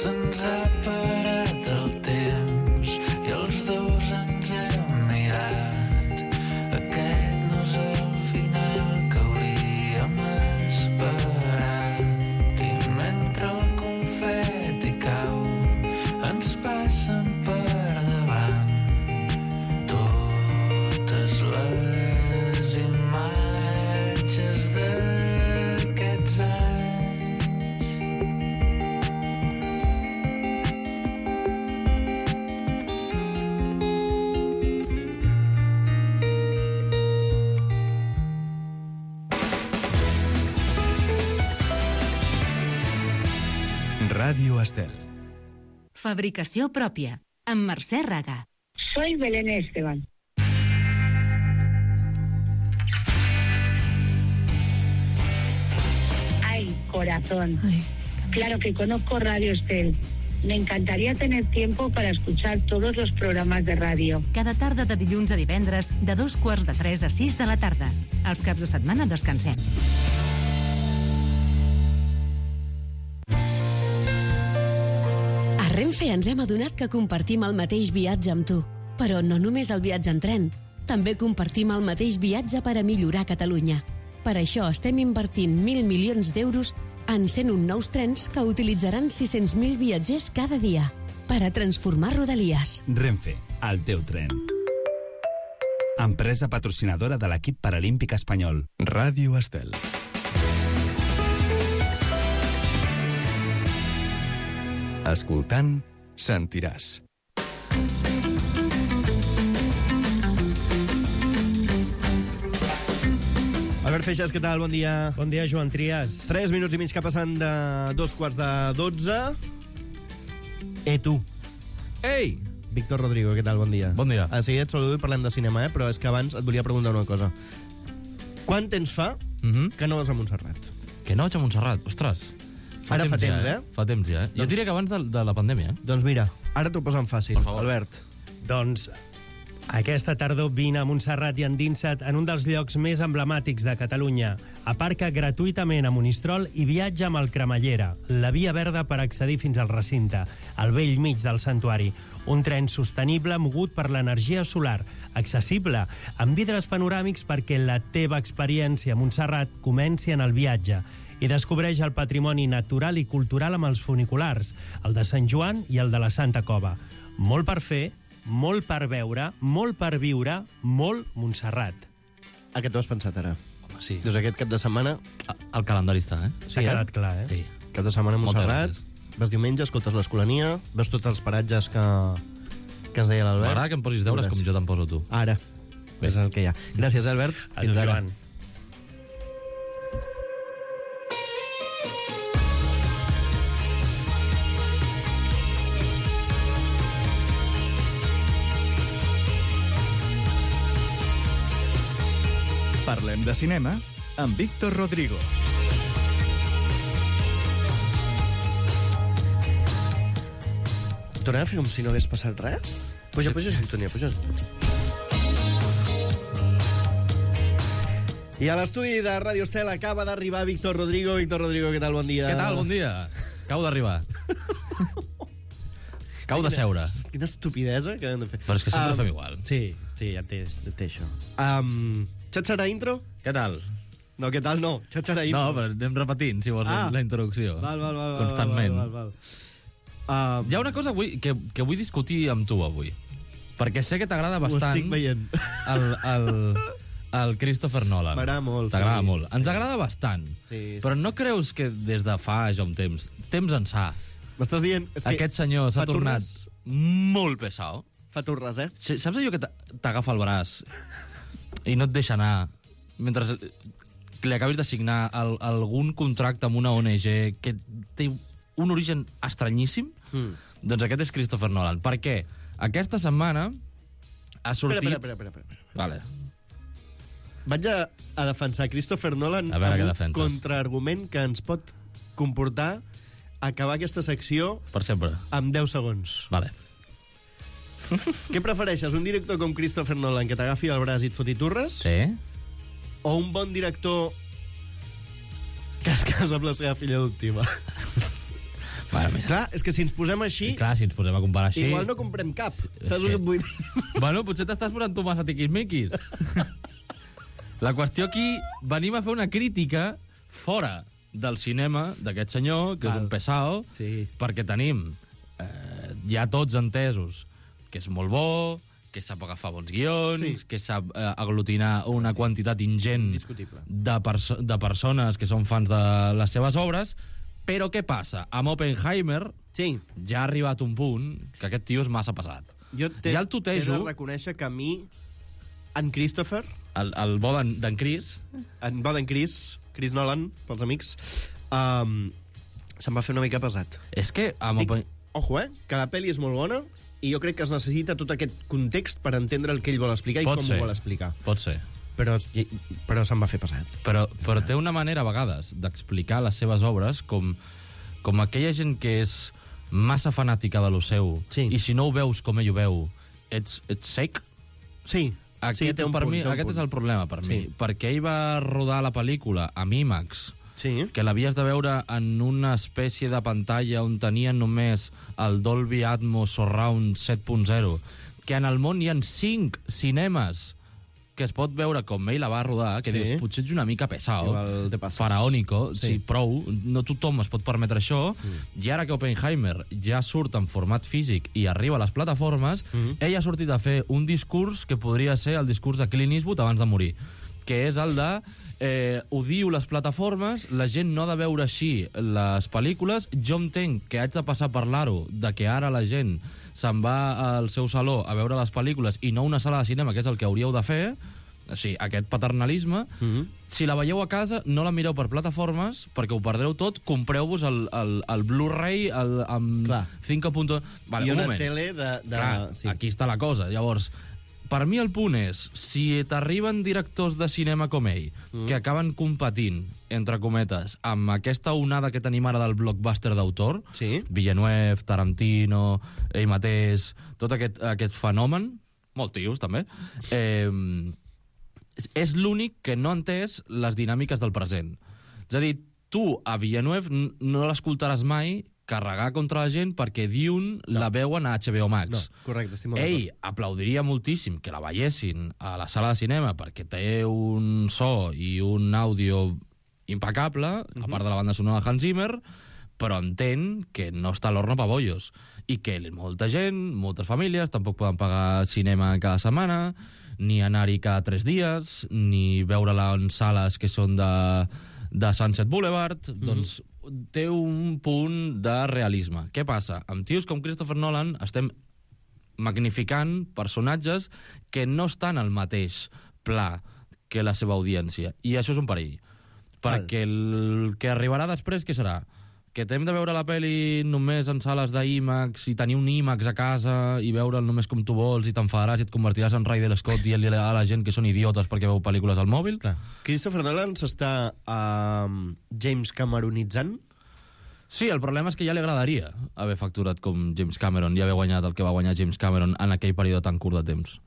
Se'ns ha parat el temps i els dos ens hem mirat. Aquest no és el final que hauríem esperat. I mentre el confeti cau ens passen per davant totes les imatges d'aquests anys. Ràdio Estel. Fabricació pròpia, amb Mercè Raga. Soy Belén Esteban. Ay, corazón. Claro que conozco Radio Estel. Me encantaría tener tiempo para escuchar todos los programas de radio. Cada tarda de dilluns a divendres, de 2:45 a 6 de la tarda. Els caps de setmana descansem. A Renfe ens hem adonat que compartim el mateix viatge amb tu. Però no només el viatge en tren. També compartim el mateix viatge per a millorar Catalunya. Per això estem invertint 1.000 milions d'euros en 101 nous trens que utilitzaran 600.000 viatgers cada dia per a transformar Rodalies. Renfe, el teu tren. Empresa patrocinadora de l'equip paralímpic espanyol. Ràdio Estel. Escoltant, sentiràs. Albert Feixas, què tal? Bon dia. Bon dia, Joan Trias. 3 minuts i mig que passen de 2:45. Tu. Ei! Víctor Rodrigo, què tal? Bon dia. Bon dia. A seguida et saludo i parlem de cinema, però és que abans et volia preguntar una cosa. Quant temps fa que no vas a Montserrat? Que no vaig a Montserrat? Ostres. Ara fa temps, eh? Fa temps, ja. Jo diria que abans de la pandèmia, Doncs mira, ara t'ho posen fàcil, Albert. Doncs Aquesta tardor vine a Montserrat i endinsa't en un dels llocs més emblemàtics de Catalunya. Aparca gratuïtament a Monistrol i viatja amb el Cremallera, la via verda per accedir fins al recinte, al vell mig del santuari. Un tren sostenible mogut per l'energia solar, accessible, amb vidres panoràmics perquè la teva experiència a Montserrat comenci en el viatge. I descobreix el patrimoni natural i cultural amb els funiculars, el de Sant Joan i el de la Santa Cova. Molt per fer, molt per veure, molt per viure, molt Montserrat. A què t'ho has pensat ara? Home, sí. Doncs aquest cap de setmana... El calendari està, S'ha quedat clar, Sí. Cap de setmana a Moltes Montserrat, vas diumenge, escoltes l'Escolania, veus tots els paratges que ens deia l'Albert. M'agrada que em posis deures com jo te'n poso tu. Ara, és el que hi ha. Gràcies, Albert. A tu, Joan. Parlem de cinema amb Víctor Rodrigo. Tornem a fer com si no hagués passat res? Puja sintonia, puja. I a l'estudi de Ràdio Estel acaba d'arribar Víctor Rodrigo. Víctor Rodrigo, què tal? Bon dia. Què tal? Bon dia. Acabo d'arribar. Acabo de seure. Quina estupidesa que hem de fer. Però és que sempre ho fem igual. Sí, ja té això. Xatxarà intro? Què tal? No, què tal no. Xatxarà intro. No, però anem repetint, si vols, la introducció. Val. Constantment. Val. Hi ha una cosa que vull discutir amb tu avui. Perquè sé que t'agrada bastant... Ho estic veient. El Christopher Nolan. M'agrada molt. T'agrada molt. Ens agrada bastant. Sí. Però no creus que des de fa ja un temps ençà, m'estàs dient... aquest senyor s'ha tornat molt pesado? Fa turres, Saps allò que t'agafa el braç i no et deixa anar mentre li acabis de signar algun contracte amb una ONG que té un origen estranyíssim? Doncs aquest és Christopher Nolan. Per què? Aquesta setmana ha sortit... Espera. Vale. Vaig a defensar Christopher Nolan amb un contraargument que ens pot comportar acabar aquesta secció per sempre amb 10 segons. Vale. Què prefereixes, un director com Christopher Nolan que t'agafi el braç i et foti turres? Sí. O un bon director que es casa amb la seva filla adoptiva? Bueno, mira. Clar, és que si ens posem així... Clar, si ens posem a comparar així... Igual no comprem cap. Saps el que et vull dir? Bueno, potser t'estàs posant tu massa tiquismiquis. La qüestió aquí, venim a fer una crítica fora del cinema d'aquest senyor, que és un pesao, perquè tenim ja tots entesos que és molt bo, que sap agafar bons guions, que sap aglutinar una quantitat ingent de persones que són fans de les seves obres, però què passa? Amb Oppenheimer ja ha arribat un punt que aquest tio és massa passat. Jo he de reconèixer que a mi, en Christopher... El bo d'en Chris. En bo d'en Chris Nolan, pels amics, se'm va fer una mica pesat. És que... Ojo, que la pel·li és molt bona i jo crec que es necessita tot aquest context per entendre el que ell vol explicar i com ho vol explicar. Pot ser. Però se'm va fer pesat. Però té una manera, a vegades, d'explicar les seves obres com aquella gent que és massa fanàtica de lo seu, i si no ho veus com ell ho veu, ets sec. Sí. Aquest és el problema per mi. Perquè ell va rodar la pel·lícula amb IMAX, que l'havies de veure en una espècie de pantalla on tenien només el Dolby Atmos Surround 7.0, que en el món hi ha 5 cinemes que es pot veure com ell la va rodar, que dius, potser ets una mica pesado, faraònico, prou, no tothom es pot permetre això, i ara que Oppenheimer ja surt en format físic i arriba a les plataformes, ell ha sortit a fer un discurs que podria ser el discurs de Clint Eastwood abans de morir, que és el de odio les plataformes, la gent no ha de veure així les pel·lícules, jo entenc que haig de passar per l'aro de que ara la gent se'n va al seu saló a veure les pel·lícules i no una sala de cinema, que és el que hauríeu de fer, o sigui, aquest paternalisme, si la veieu a casa, no la mireu per plataformes, perquè ho perdreu tot, compreu-vos el Blu-ray amb 5.1... Vale, I una moment. tele de... Clar, aquí està la cosa. Llavors, per mi el punt és, si t'arriben directors de cinema com ell, que acaben competint, entre cometes, amb aquesta onada que tenim ara del blockbuster d'autor, Villeneuve, Tarantino, ell mateix, tot aquest fenomen, molt tios, també, és l'únic que no ha entès les dinàmiques del present. És a dir, tu a Villeneuve no l'escoltaràs mai carregar contra la gent perquè Dune la veuen a HBO Max. No, correcte, estic molt d'acord. Ell aplaudiria moltíssim que la veiessin a la sala de cinema perquè té un so i un àudio impecable, a part de la banda sonora de Hans Zimmer, però entén que no està a l'horno pa bollos i que molta gent, moltes famílies, tampoc poden pagar cinema cada setmana, ni anar-hi cada 3 dies, ni veure-la en sales que són de Sunset Boulevard, doncs té un punt de realisme. Què passa? Amb tios com Christopher Nolan estem magnificant personatges que no estan al mateix pla que la seva audiència. I això és un perill. Perquè el que arribarà després, què serà? Que t'hem de veure la pel·li només en sales d'IMAX i tenir un IMAX a casa i veure'l només com tu vols i t'enfadaràs i et convertiràs en Ridley Scott i a la gent que són idiotes perquè veu pel·lícules al mòbil? Clar. Christopher Nolan s'està James Cameronitzant? Sí, el problema és que ja li agradaria haver facturat com James Cameron i haver guanyat el que va guanyar James Cameron en aquell període tan curt de temps.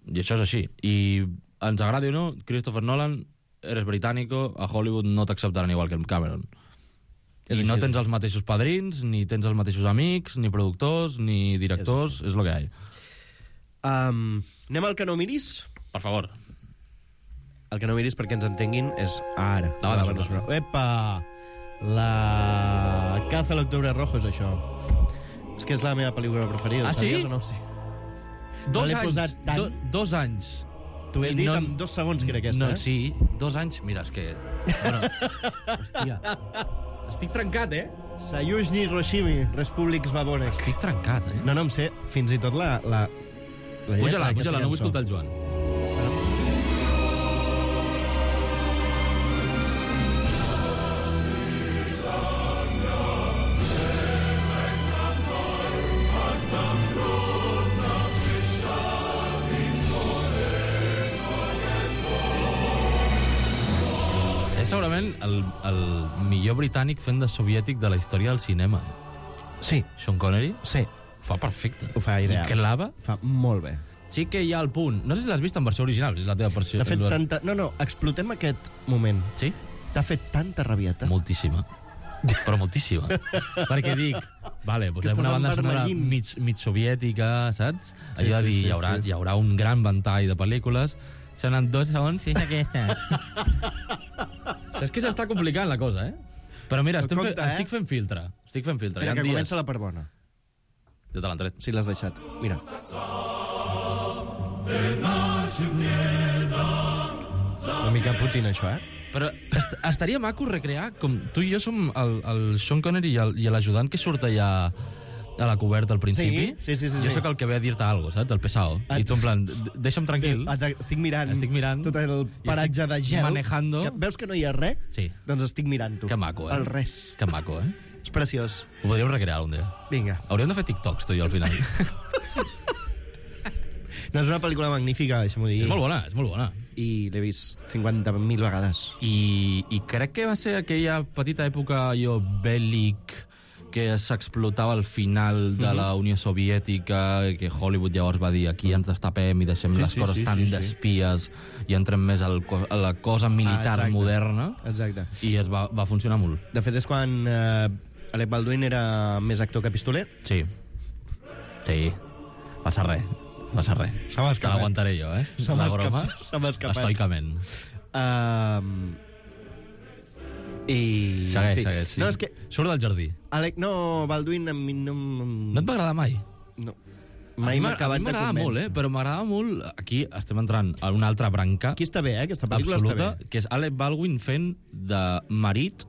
I això és així. I ens agradi o no, Christopher Nolan, eres britànico, a Hollywood no t'acceptaran igual que Cameron. I no tens els mateixos padrins, ni tens els mateixos amics, ni productors, ni directors, és el que hi ha. Anem al que no miris? Per favor. El que no miris, perquè ens entenguin, és ara. La banda sonora. Epa! La caza a l'octubre rojo és això. És que és la meva pel·lícula preferida. Ah, sí? O no? Sí. 2 anys. 2 anys. T'ho he dit en 2 segons, que era aquesta, Sí, 2 anys. Mira, és que... Bueno, hòstia... Estic trencat, Sayuzhny Hiroshimi, Repúblics Babones. Estic trencat, No em sé, fins i tot la Puja-la, no vull escoltar el Joan. Segurament el millor britànic fent de soviètic de la història del cinema. Sí. Sean Connery? Sí. Ho fa perfecte. Ho fa ideal. I clava? Fa molt bé. Sí que hi ha el punt. No sé si l'has vist en versió original, és la teva versió. T'ha fet tanta... No, explotem aquest moment. Sí? T'ha fet tanta rabieta. Moltíssima. Però moltíssima. Perquè dic, vale, posem una banda sonora mig soviètica, saps? Allò de dir, hi haurà un gran ventall de pel·lícules. Sonen 2 segons i és aquesta. És que s'està complicant la cosa, Però mira, estic fent filtre. Mira, que comença la part bona. Ja te l'han tret. Sí, l'has deixat. Mira. Una mica Putin, això, Però estaria maco recrear, com tu i jo som el Sean Connery i l'ajudant que surt allà a la coberta al principi. Sí. Jo sóc el que ve a dir-te alguna cosa, saps? El pesado. I tu en plan, deixa'm tranquil. Estic mirant tot el paratge de gel. Manejando. Veus que no hi ha res? Sí. Doncs estic mirant-ho. Que maco, El res. Que maco, És preciós. Ho podríem recrear un dia. Vinga. Hauríem de fer TikToks, tu i jo, al final. No, és una pel·lícula magnífica, deixa'm-ho dir. És molt bona. I l'he vist 50.000 vegades. I crec que va ser aquella petita època bèl·lic que s'explotava al final de la Unió Soviètica, que Hollywood llavors va dir aquí ens destapem i deixem les coses tan d'espies i entrem més a la cosa militar moderna. Exacte. I va funcionar molt. De fet, és quan Alec Baldwin era més actor que pistoler. Sí. Passa res. Se m'ha escapat. Te l'aguantaré jo, Se m'ha escapat. Estoicament. I... Segueix, sí. No, és que... Surt del jardí. Baldwin a mi no... No et va agradar mai? No. Mai m'ha acabat de convèncer. Molt, però m'agradava molt... Aquí estem entrant a una altra branca. Aquí està bé, aquesta pel·lícula absoluta, està bé. Que és Alec Baldwin fent de marit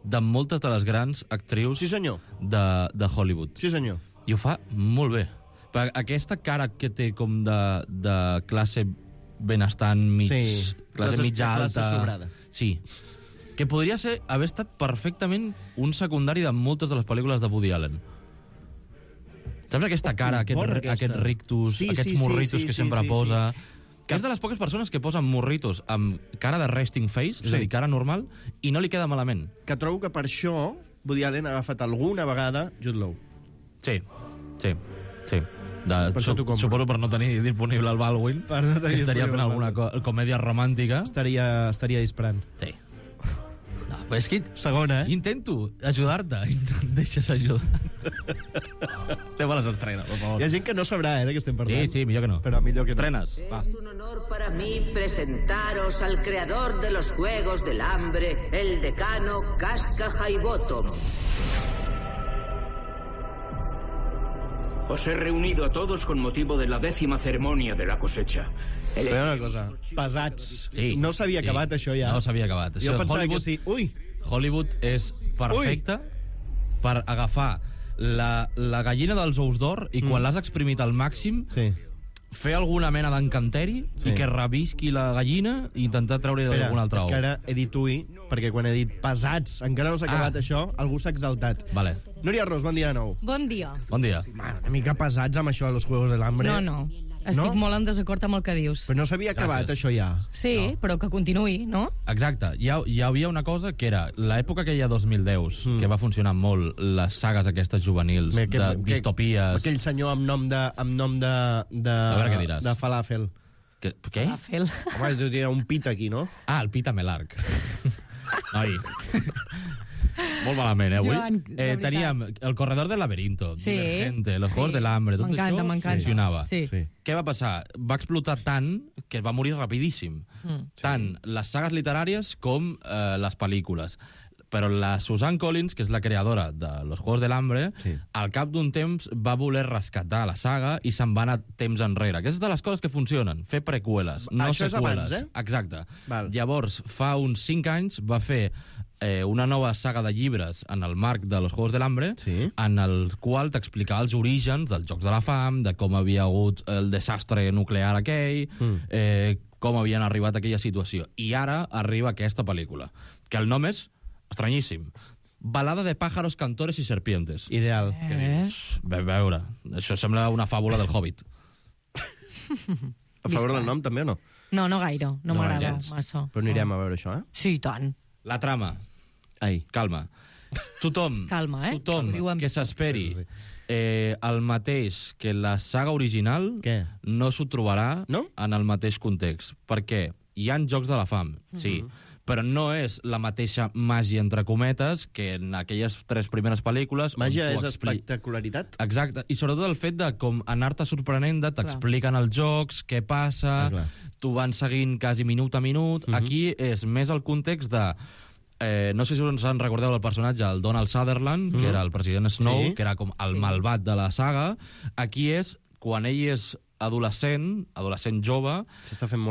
de moltes de les grans actrius de Hollywood. Sí, senyor. I ho fa molt bé. Per aquesta cara que té com de classe benestant classe mitja alta. Classe sobrada. Sí. Que podria haver estat perfectament un secundari de moltes de les pel·lícules de Woody Allen. Saps aquesta cara, aquest rictus, aquests morritos que sempre posa... Que és de les poques persones que posen morritos amb cara de resting face, és a dir, cara normal, i no li queda malament. Que trobo que per això Woody Allen ha agafat alguna vegada Jude Law. Sí. Suposo per no tenir disponible el Baldwin, que estaria fent alguna comèdia romàntica. Estaria disparant. Sí. No, però és que... Segona, Intento ajudar-te i no em deixes ajudar. Anem a les estrenes, per favor. Hi ha gent que no sabrà, de què estem parlant. Sí, millor que no. Però millor que estrenes. Va. Es un honor para mí presentaros al creador de los Juegos del Hambre, el decano Casca Highbottom. Os he reunido a todos con motivo de la 10ª ceremonia de la cosecha. Però una cosa, pesats. Sí, no s'havia acabat això ja. No s'havia acabat. Jo pensava que sí. Ui! Hollywood és perfecte per agafar la gallina dels ous d'or i quan l'has exprimit al màxim fer alguna mena d'encanteri i que revisqui la gallina i intentar treure-hi d'algun altre ou. És que ara he dit ui, perquè quan he dit pesats, encara no s'ha acabat això, algú s'ha exaltat. Vale. Núria Ros, bon dia de nou. Bon dia. Bon dia. Una mica pesats amb això de los Juegos del Hambre. No. Estic molt en desacord amb el que dius. Però no s'havia acabat això ja. Sí, però que continuï, no? Exacte. Hi havia una cosa que era l'època que hi ha 2010, que va funcionar molt, les sagues aquestes juvenils, de distopies... Aquell senyor amb nom de... A veure què diràs. De falàfel. Què? Falàfel. Home, tu tens un pit aquí, no? Ah, el pit amb l'arc. Noi. Molt malament, avui. Joan, teníem el corredor del laberinto, Divergente, los Juegos del Hambre, tot això funcionava. Sí. Què va passar? Va explotar tant que va morir rapidíssim. Tant les sagues literàries com les pel·lícules. Però la Suzanne Collins, que és la creadora de Los Juegos del Hambre, al cap d'un temps va voler rescatar la saga i se'n va anar temps enrere. Aquestes de les coses que funcionen. Fer preqüeles, no això seqüeles. És abans, Exacte. Llavors, fa uns 5 anys va fer una nova saga de llibres en el marc de Los Juegos del Hambre, en el qual t'explicava els orígens dels Jocs de la Fam, de com havia hagut el desastre nuclear aquell, com havien arribat a aquella situació. I ara arriba aquesta pel·lícula, que el nom és estranyíssim. Balada de pájaros, cantores i serpientes. Ideal. A veure, això sembla una fàbula del Hobbit. A favor del nom, també, o no? No gaire. No m'agrada massa. Però anirem a veure això, Sí, i tant. La trama. Calma. Tothom que s'esperi el mateix que la saga original no s'ho trobarà en el mateix context. Perquè hi ha Jocs de la Fam, sí, però no és la mateixa màgia, entre cometes, que en aquelles 3 primeres pel·lícules... Màgia és espectacularitat? Exacte, i sobretot el fet de com anar-te sorprenent, t'expliquen els jocs, què passa, t'ho van seguint quasi minut a minut. Aquí és més el context de... no sé si us en recordeu el personatge, el Donald Sutherland, que era el president Snow, que era com el malvat de la saga. Aquí és quan ell és adolescent jove,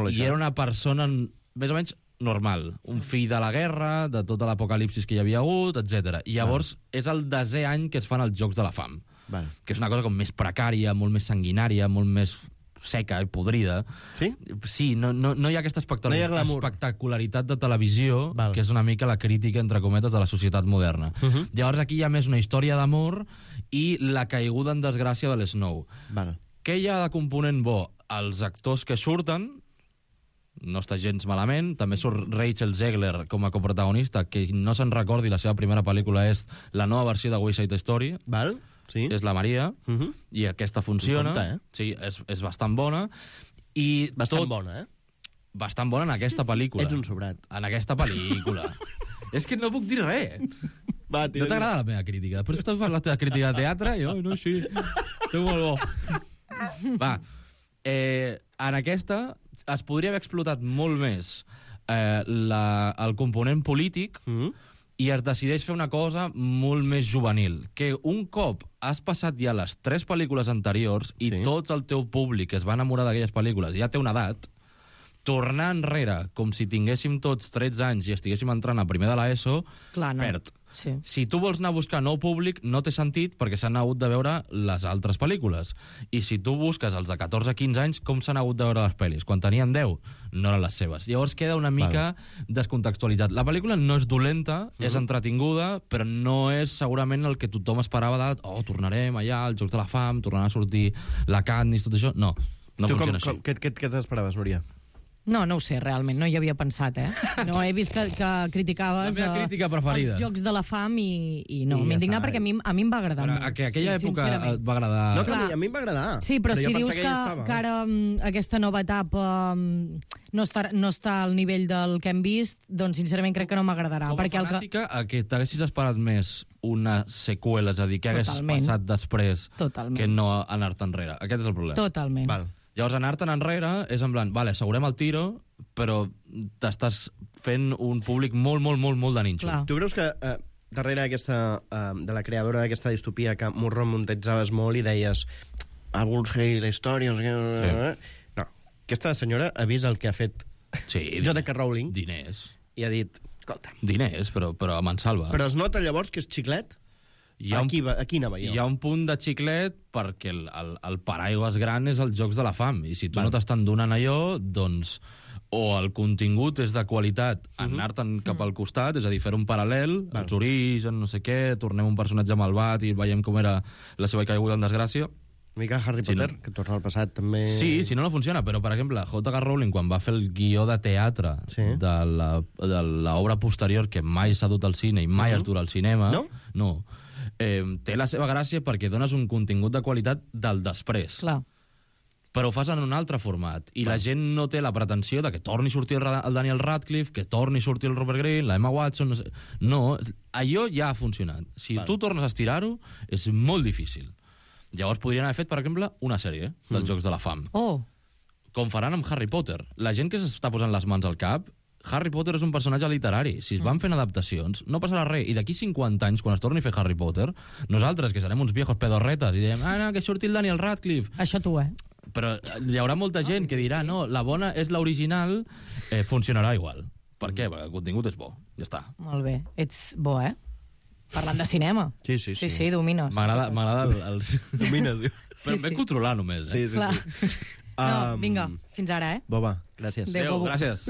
i era una persona més o menys normal, un fill de la guerra, de tota l'apocalipsis que hi havia hagut, etc. I llavors és el 10è any que es fan els Jocs de la Fam, que és una cosa com més precària, molt més sanguinària, molt més seca i podrida. Sí? Sí, no hi ha aquesta espectacularitat de televisió, que és una mica la crítica, entre cometes, de la societat moderna. Llavors aquí hi ha més una història d'amor i la caiguda en desgràcia de l'Snow. Què hi ha de component bo? Els actors que surten, no està gens malament, també surt Rachel Zegler com a coprotagonista, que no se'n recordi, la seva primera pel·lícula és la nova versió de West Side Story. És la Maria, i aquesta funciona. Sí, és bastant bona. Bastant bona, Bastant bona en aquesta pel·lícula. Ets un sobrat. En aquesta pel·lícula. És que no puc dir res. No t'agrada la meva crítica? Després tu fas la teva crítica de teatre i no, així. Soc molt bo. Va, en aquesta es podria haver explotat molt més el component polític i es decideix fer una cosa molt més juvenil, que un cop has passat ja les 3 pel·lícules anteriors i tot el teu públic que es va enamorar d'aquelles pel·lícules ja té una edat, tornar enrere com si tinguéssim tots 13 anys i estiguéssim entrant a primer de l'ESO, perd. Si tu vols anar a buscar nou públic, no té sentit perquè s'han hagut de veure les altres pel·lícules. I si tu busques els de 14-15 anys, com s'han hagut de veure les pel·lis? Quan tenien 10, no eren les seves. Llavors queda una mica descontextualitzat. La pel·lícula no és dolenta, és entretinguda, però no és segurament el que tothom esperava de tornarem allà, els Jocs de la Fam, tornarà a sortir la Katniss, tot això. No funciona així. Què t'esperaves, Núria? No ho sé, realment, no hi havia pensat, No, he vist que criticaves La meva crítica preferida. els Jocs de la Fam i no, I ja m'he indignat està. perquè a mi em va agradar molt. Que aquella època sincerament. et va agradar... No, que Clar. a mi em va agradar. Sí, però si jo dius pensava que ja estava. ara aquesta nova etapa no està al nivell del que hem vist, doncs sincerament crec que no m'agradarà. Com a perquè fanàtica, que t'haguessis esperat més una seqüela, és a dir, que hagués Totalment. passat després Totalment. que no anar-te enrere. Aquest és el problema. Totalment. Val. Llavors, anar-te'n enrere és en plan, vale, assegurem el tiro, però t'estàs fent un públic molt, molt, molt, molt de nínxol. Tu creus que darrere aquesta, de la creadora d'aquesta distopia que m'ho remuntetzaves molt i deies alguns hei la història, no sé què... No, aquesta senyora ha vist el que ha fet J.K. Rowling. Diners. I ha dit, escolta... Diners, però a mansalva. Però es nota llavors que és xiclet? Aquí anava jo. Hi ha un punt de xiclet perquè el paraigües gran és els Jocs de la Fam, i si tu no t'estan donant allò, doncs o el contingut és de qualitat anar-te'n cap al costat, és a dir, fer un paral·lel, els orígens, no sé què, tornem un personatge malvat i veiem com era la seva caiguda en desgràcia. Una mica Harry Potter, que torna al passat també... Sí, si no funciona, però, per exemple, J.K. Rowling, quan va fer el guió de teatre de l'obra posterior, que mai s'ha dut al cine i mai es durà al cinema... No. Té la seva gràcia perquè dones un contingut de qualitat del després. Clar. Però ho fas en un altre format, i la gent no té la pretensió de que torni a sortir el Daniel Radcliffe, que torni a sortir el Robert Greene, la Emma Watson... No, allò ja ha funcionat. Si tu tornes a estirar-ho, és molt difícil. Llavors podrien haver fet, per exemple, una sèrie dels Jocs de la Fam. Com faran amb Harry Potter. La gent que s'està posant les mans al cap, Harry Potter és un personatge literari. Si es van fent adaptacions, no passarà res. I d'aquí 50 anys, quan es torni a fer Harry Potter, nosaltres, que serem uns viejos pedorretes, i direm, no, que surti el Daniel Radcliffe. Això tu, Però hi haurà molta gent que dirà, no, la bona és l'original, funcionarà igual. Per què? Perquè el contingut és bo. Ja està. Molt bé. Ets bo, Parlant de cinema. Sí, domines. M'agrada els... Domines. Però em ve controlar només, Sí. No, vinga, fins ara, Boba, gràcies. Adéu, gràcies.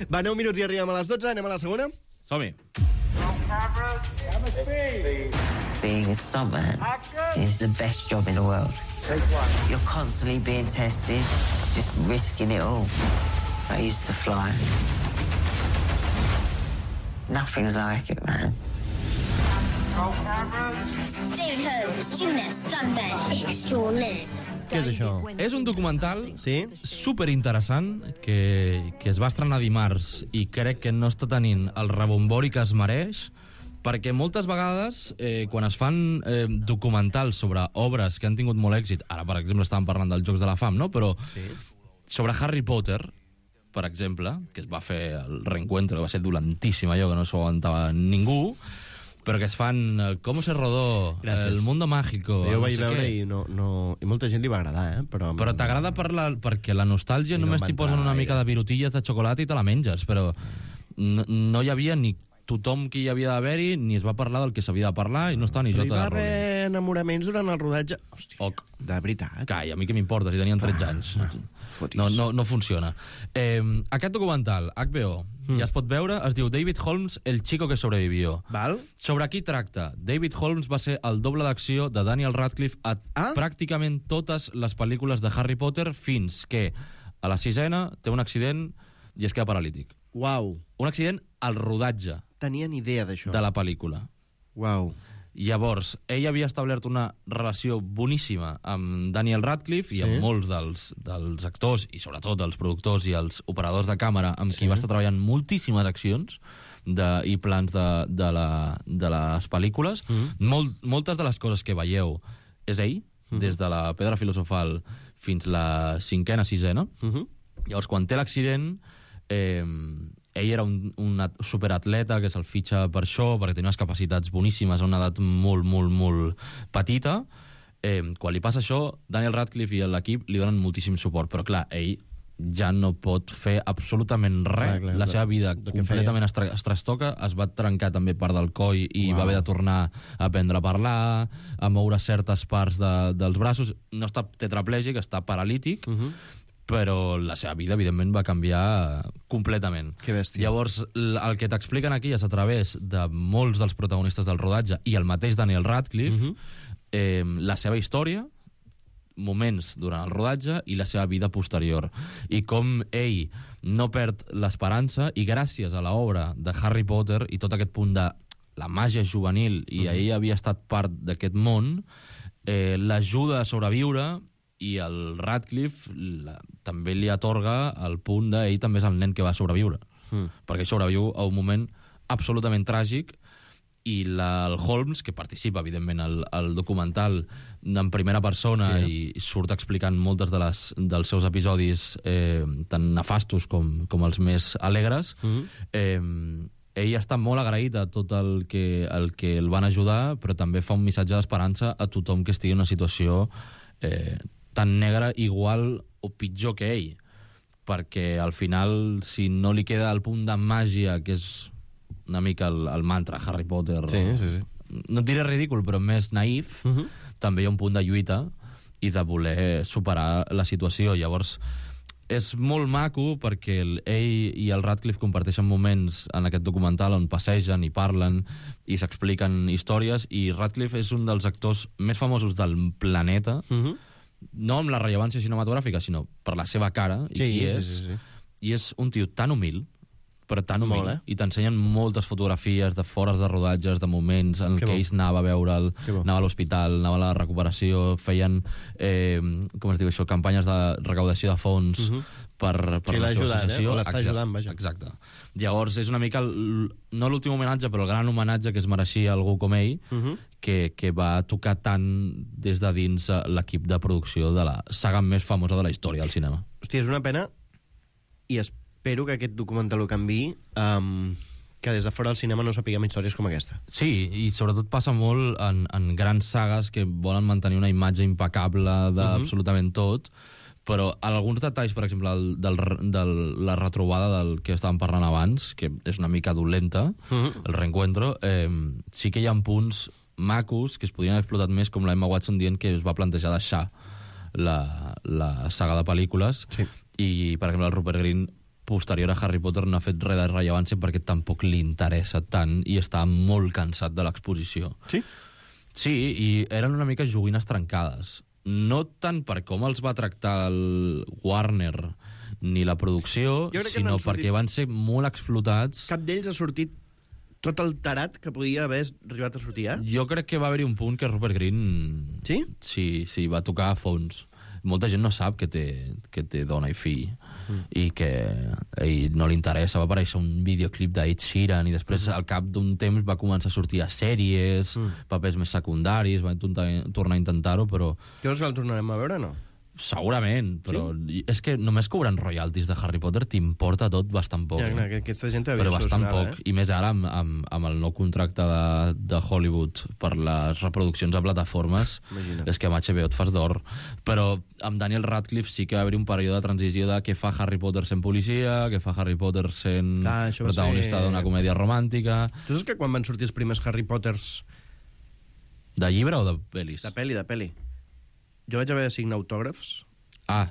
Va, 9 minuts i arribem a les 12, anem a la segona? Som-hi. Being a stuntman is the best job in the world. You're constantly being tested, just risking it all. I used to fly. Nothing's like it, man. Stay home, sooner, stuntman extraordinaire. Què és això? És un documental superinteressant que es va estrenar dimarts i crec que no està tenint el rebombori que es mereix, perquè moltes vegades, quan es fan documentals sobre obres que han tingut molt èxit, ara, per exemple, estàvem parlant dels Jocs de la Fam, no? Però sobre Harry Potter, per exemple, que es va fer el reencuentro, que va ser dolentíssim allò, que no s'ho aguantava ningú, però que es fan com se rodó, el mundo mágico... Jo ho vaig veure i molta gent li va agradar, Però t'agrada perquè la nostàlgia només t'hi posen una mica de virutilles de xocolata i te la menges, però no hi havia ni tothom que hi havia d'haver-hi, ni es va parlar del que s'havia de parlar, i no estava ni Però hi J.K. va Rowling. haver enamoraments durant el rodatge? Hòstia, de veritat. Calla, a mi què m'importa, si tenien 13 anys. No funciona. Aquest documental, HBO, ja es pot veure, es diu David Holmes, el chico que sobrevivió. Sobre qui tracta? David Holmes va ser el doble d'acció de Daniel Radcliffe a pràcticament totes les pel·lícules de Harry Potter, fins que a la 6ª té un accident i es queda paralític. Uau. Un accident al rodatge. Tenien idea d'això. De la pel·lícula. Uau. Llavors, ell havia establert una relació boníssima amb Daniel Radcliffe i amb molts dels actors i sobretot dels productors i els operadors de càmera amb qui va estar treballant moltíssimes accions i plans de les pel·lícules. Moltes de les coses que veieu és ell, des de la Pedra Filosofal fins la 5ª, 6ª. Llavors, quan té l'accident, ell era un superatleta que se'l fitxa per això, perquè tenia unes capacitats boníssimes a una edat molt, molt, molt petita. Quan li passa això, Daniel Radcliffe i l'equip li donen moltíssim suport, però clar, ell ja no pot fer absolutament res. La seva vida completament es trastoca, es va trencar també part del coll i va haver de tornar a aprendre a parlar, a moure certes parts dels braços. No està tetraplègic, està paralític, però la seva vida, evidentment, va canviar completament. Que bèstia. Llavors, el que t'expliquen aquí és a través de molts dels protagonistes del rodatge i el mateix Daniel Radcliffe, la seva història, moments durant el rodatge i la seva vida posterior. I com ell no perd l'esperança, i gràcies a l'obra de Harry Potter i tot aquest punt de la màgia juvenil, i ell havia estat part d'aquest món, l'ajuda a sobreviure, i el Radcliffe també li atorga el punt d'ell també és el nen que va sobreviure. Perquè sobreviu a un moment absolutament tràgic, i el Holmes, que participa, evidentment, al documental en primera persona i surt explicant moltes dels seus episodis tan nefastos com els més alegres, ell està molt agraït a tot el que el van ajudar, però també fa un missatge d'esperança a tothom que estigui en una situació tan negra, igual o pitjor que ell, perquè al final, si no li queda el punt de màgia, que és una mica el mantra Harry Potter, no et diré ridícul, però més naïf, també hi ha un punt de lluita i de voler superar la situació. Llavors, és molt maco perquè ell i el Radcliffe comparteixen moments en aquest documental on passegen i parlen i s'expliquen històries, i Radcliffe és un dels actors més famosos del planeta, no amb la rellevància cinematogràfica, sinó per la seva cara i qui és. I és un tio tan humil, però tan humil, i t'ensenyen moltes fotografies de fores de rodatges, de moments en què ells anava a veure'l, anava a l'hospital, anava a la recuperació, feien, com es diu això, campanyes de recaudació de fons per la seva associació. O l'està ajudant, vaja. Exacte. Llavors, és una mica, no l'últim homenatge, però el gran homenatge que es mereixia algú com ell, que va tocar tant des de dins l'equip de producció de la saga més famosa de la història del cinema. Hòstia, és una pena, i espero que aquest documental ho canviï, que des de fora del cinema no sapiguem històries com aquesta. Sí, i sobretot passa molt en grans sagues que volen mantenir una imatge impecable d'absolutament tot, però alguns detalls, per exemple, de la retrobada del que estàvem parlant abans, que és una mica dolenta, el reencuentro, sí que hi ha punts macos que es podrien haver explotat més, com la Emma Watson dient que es va plantejar deixar la saga de pel·lícules, i, per exemple, el Rupert Grint, posterior a Harry Potter, no ha fet res de rellevància perquè tampoc li interessa tant i està molt cansat de l'exposició. Sí? Sí, i eren una mica joguines trencades. No tant per com els va tractar el Warner ni la producció, sinó perquè van ser molt explotats. Cap d'ells ha sortit tot el tarat que podia haver arribat a sortir, Jo crec que va haver-hi un punt que Rupert Grint... Sí? Sí, va tocar a fons. Molta gent no sap que té dona i fill i que a ell no li interessa. Va aparèixer un videoclip d'Ed Sheeran i després al cap d'un temps va començar a sortir a sèries, papers més secundaris, va tornar a intentar-ho, però... Llavors el tornarem a veure, no? Segurament, però és que només cobrant royalties de Harry Potter t'importa tot bastant poc. Aquesta gent havia però bastant solucionada, poc, i més ara amb el nou contracte de Hollywood per les reproduccions a plataformes. Imagina't. És que amb HBO et fas d'or. Però amb Daniel Radcliffe sí que va haver un període de transició de què fa Harry Potter sent policia, què fa Harry Potter sent protagonista d'una comèdia romàntica. Tu saps que quan van sortir els primers Harry Potters... De llibre o de pel·lis? De pel·li. Jo vaig haver de signar autògrafs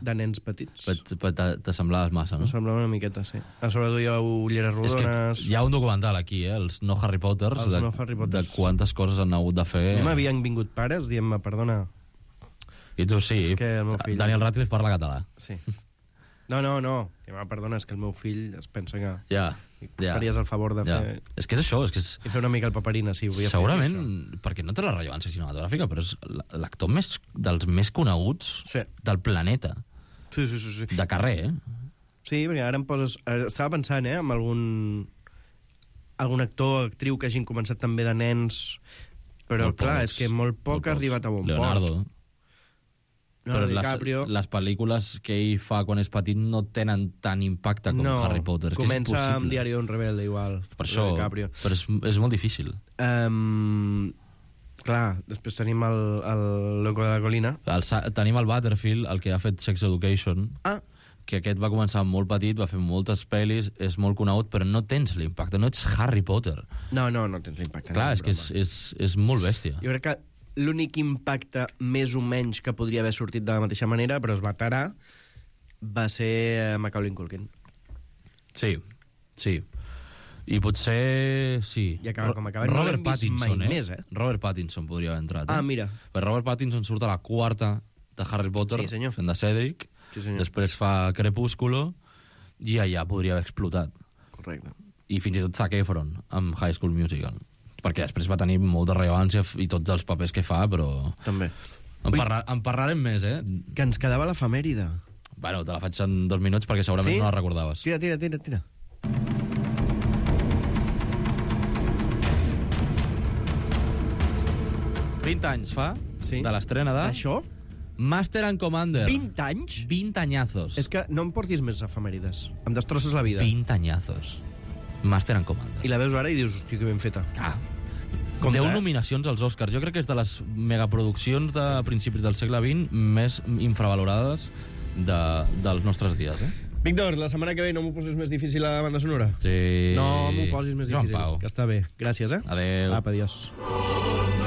de nens petits. T'assemblaves massa, no? M'assemblava una miqueta, sí. A sobre duia ulleres rodones... És que hi ha un documental aquí, els no Harry Potters, de quantes coses han hagut de fer... A mi m'havien vingut pares dient-me, perdona... I tu sí, Daniel Radcliffe parla català. Sí. No. Perdona, és que el meu fill es pensa que... Ja. Faries el favor de fer... És que és això, I fer una mica el paperina, si volia segurament, perquè no té la rellevància cinematogràfica, però és l'actor dels més coneguts del planeta. Sí. De carrer, Sí, perquè ara em poses... Estava pensant, en algun actor o actriu que hagin començat també de nens, però clar, és que molt poc ha arribat a bon port. Leonardo. Però DiCaprio. les pel·lícules que ell fa quan és petit no tenen tant impacte com Harry Potter. Comença amb Diari d'un rebelde, igual. Per això, però és molt difícil. Clar, després tenim el Loco de la Colina. Tenim el Butterfield, el que ha fet Sex Education, que aquest va començar molt petit, va fer moltes pel·lis, és molt conegut, però no tens l'impacte, no ets Harry Potter. No tens l'impacte. Clar, és que és molt bèstia. Jo crec que l'únic impacte més o menys que podria haver sortit de la mateixa manera, però es va tarar, va ser Macaulay Culkin. Sí. I potser... Sí. I acaba com acaba. Robert Pattinson, mai més, Robert Pattinson podria haver entrat. Mira. Però Robert Pattinson surt a la quarta de Harry Potter, Sí, senyor. fent de Cedric, després fa Crepúsculo, i allà podria haver explotat. Correcte. I fins i tot Zac Efron, amb High School Musical. Perquè després va tenir molta rellevància i tots els papers que fa, però... També. En parlarem més, Que ens quedava l'efemèride. Bueno, te la faig en 2 minuts perquè segurament no la recordaves. Tira. 20 anys fa, de l'estrena de... Això? Master and Commander. 20 anys? 20 anyazos. És que no em portis més efemèrides. Em destrosses la vida. 20 anyazos. Master and Commander. I la veus ara i dius, hòstia, que ben feta. Ah. 10 nominacions als Oscars. Jo crec que és de les megaproduccions de principis del segle XX més infravalorades dels nostres dies, Víctor, la setmana que ve no m'ho posis més difícil a la banda sonora? Sí. No m'ho posis més Joan difícil. Pau. Que està bé. Gràcies, Adéu. Apa, adiós.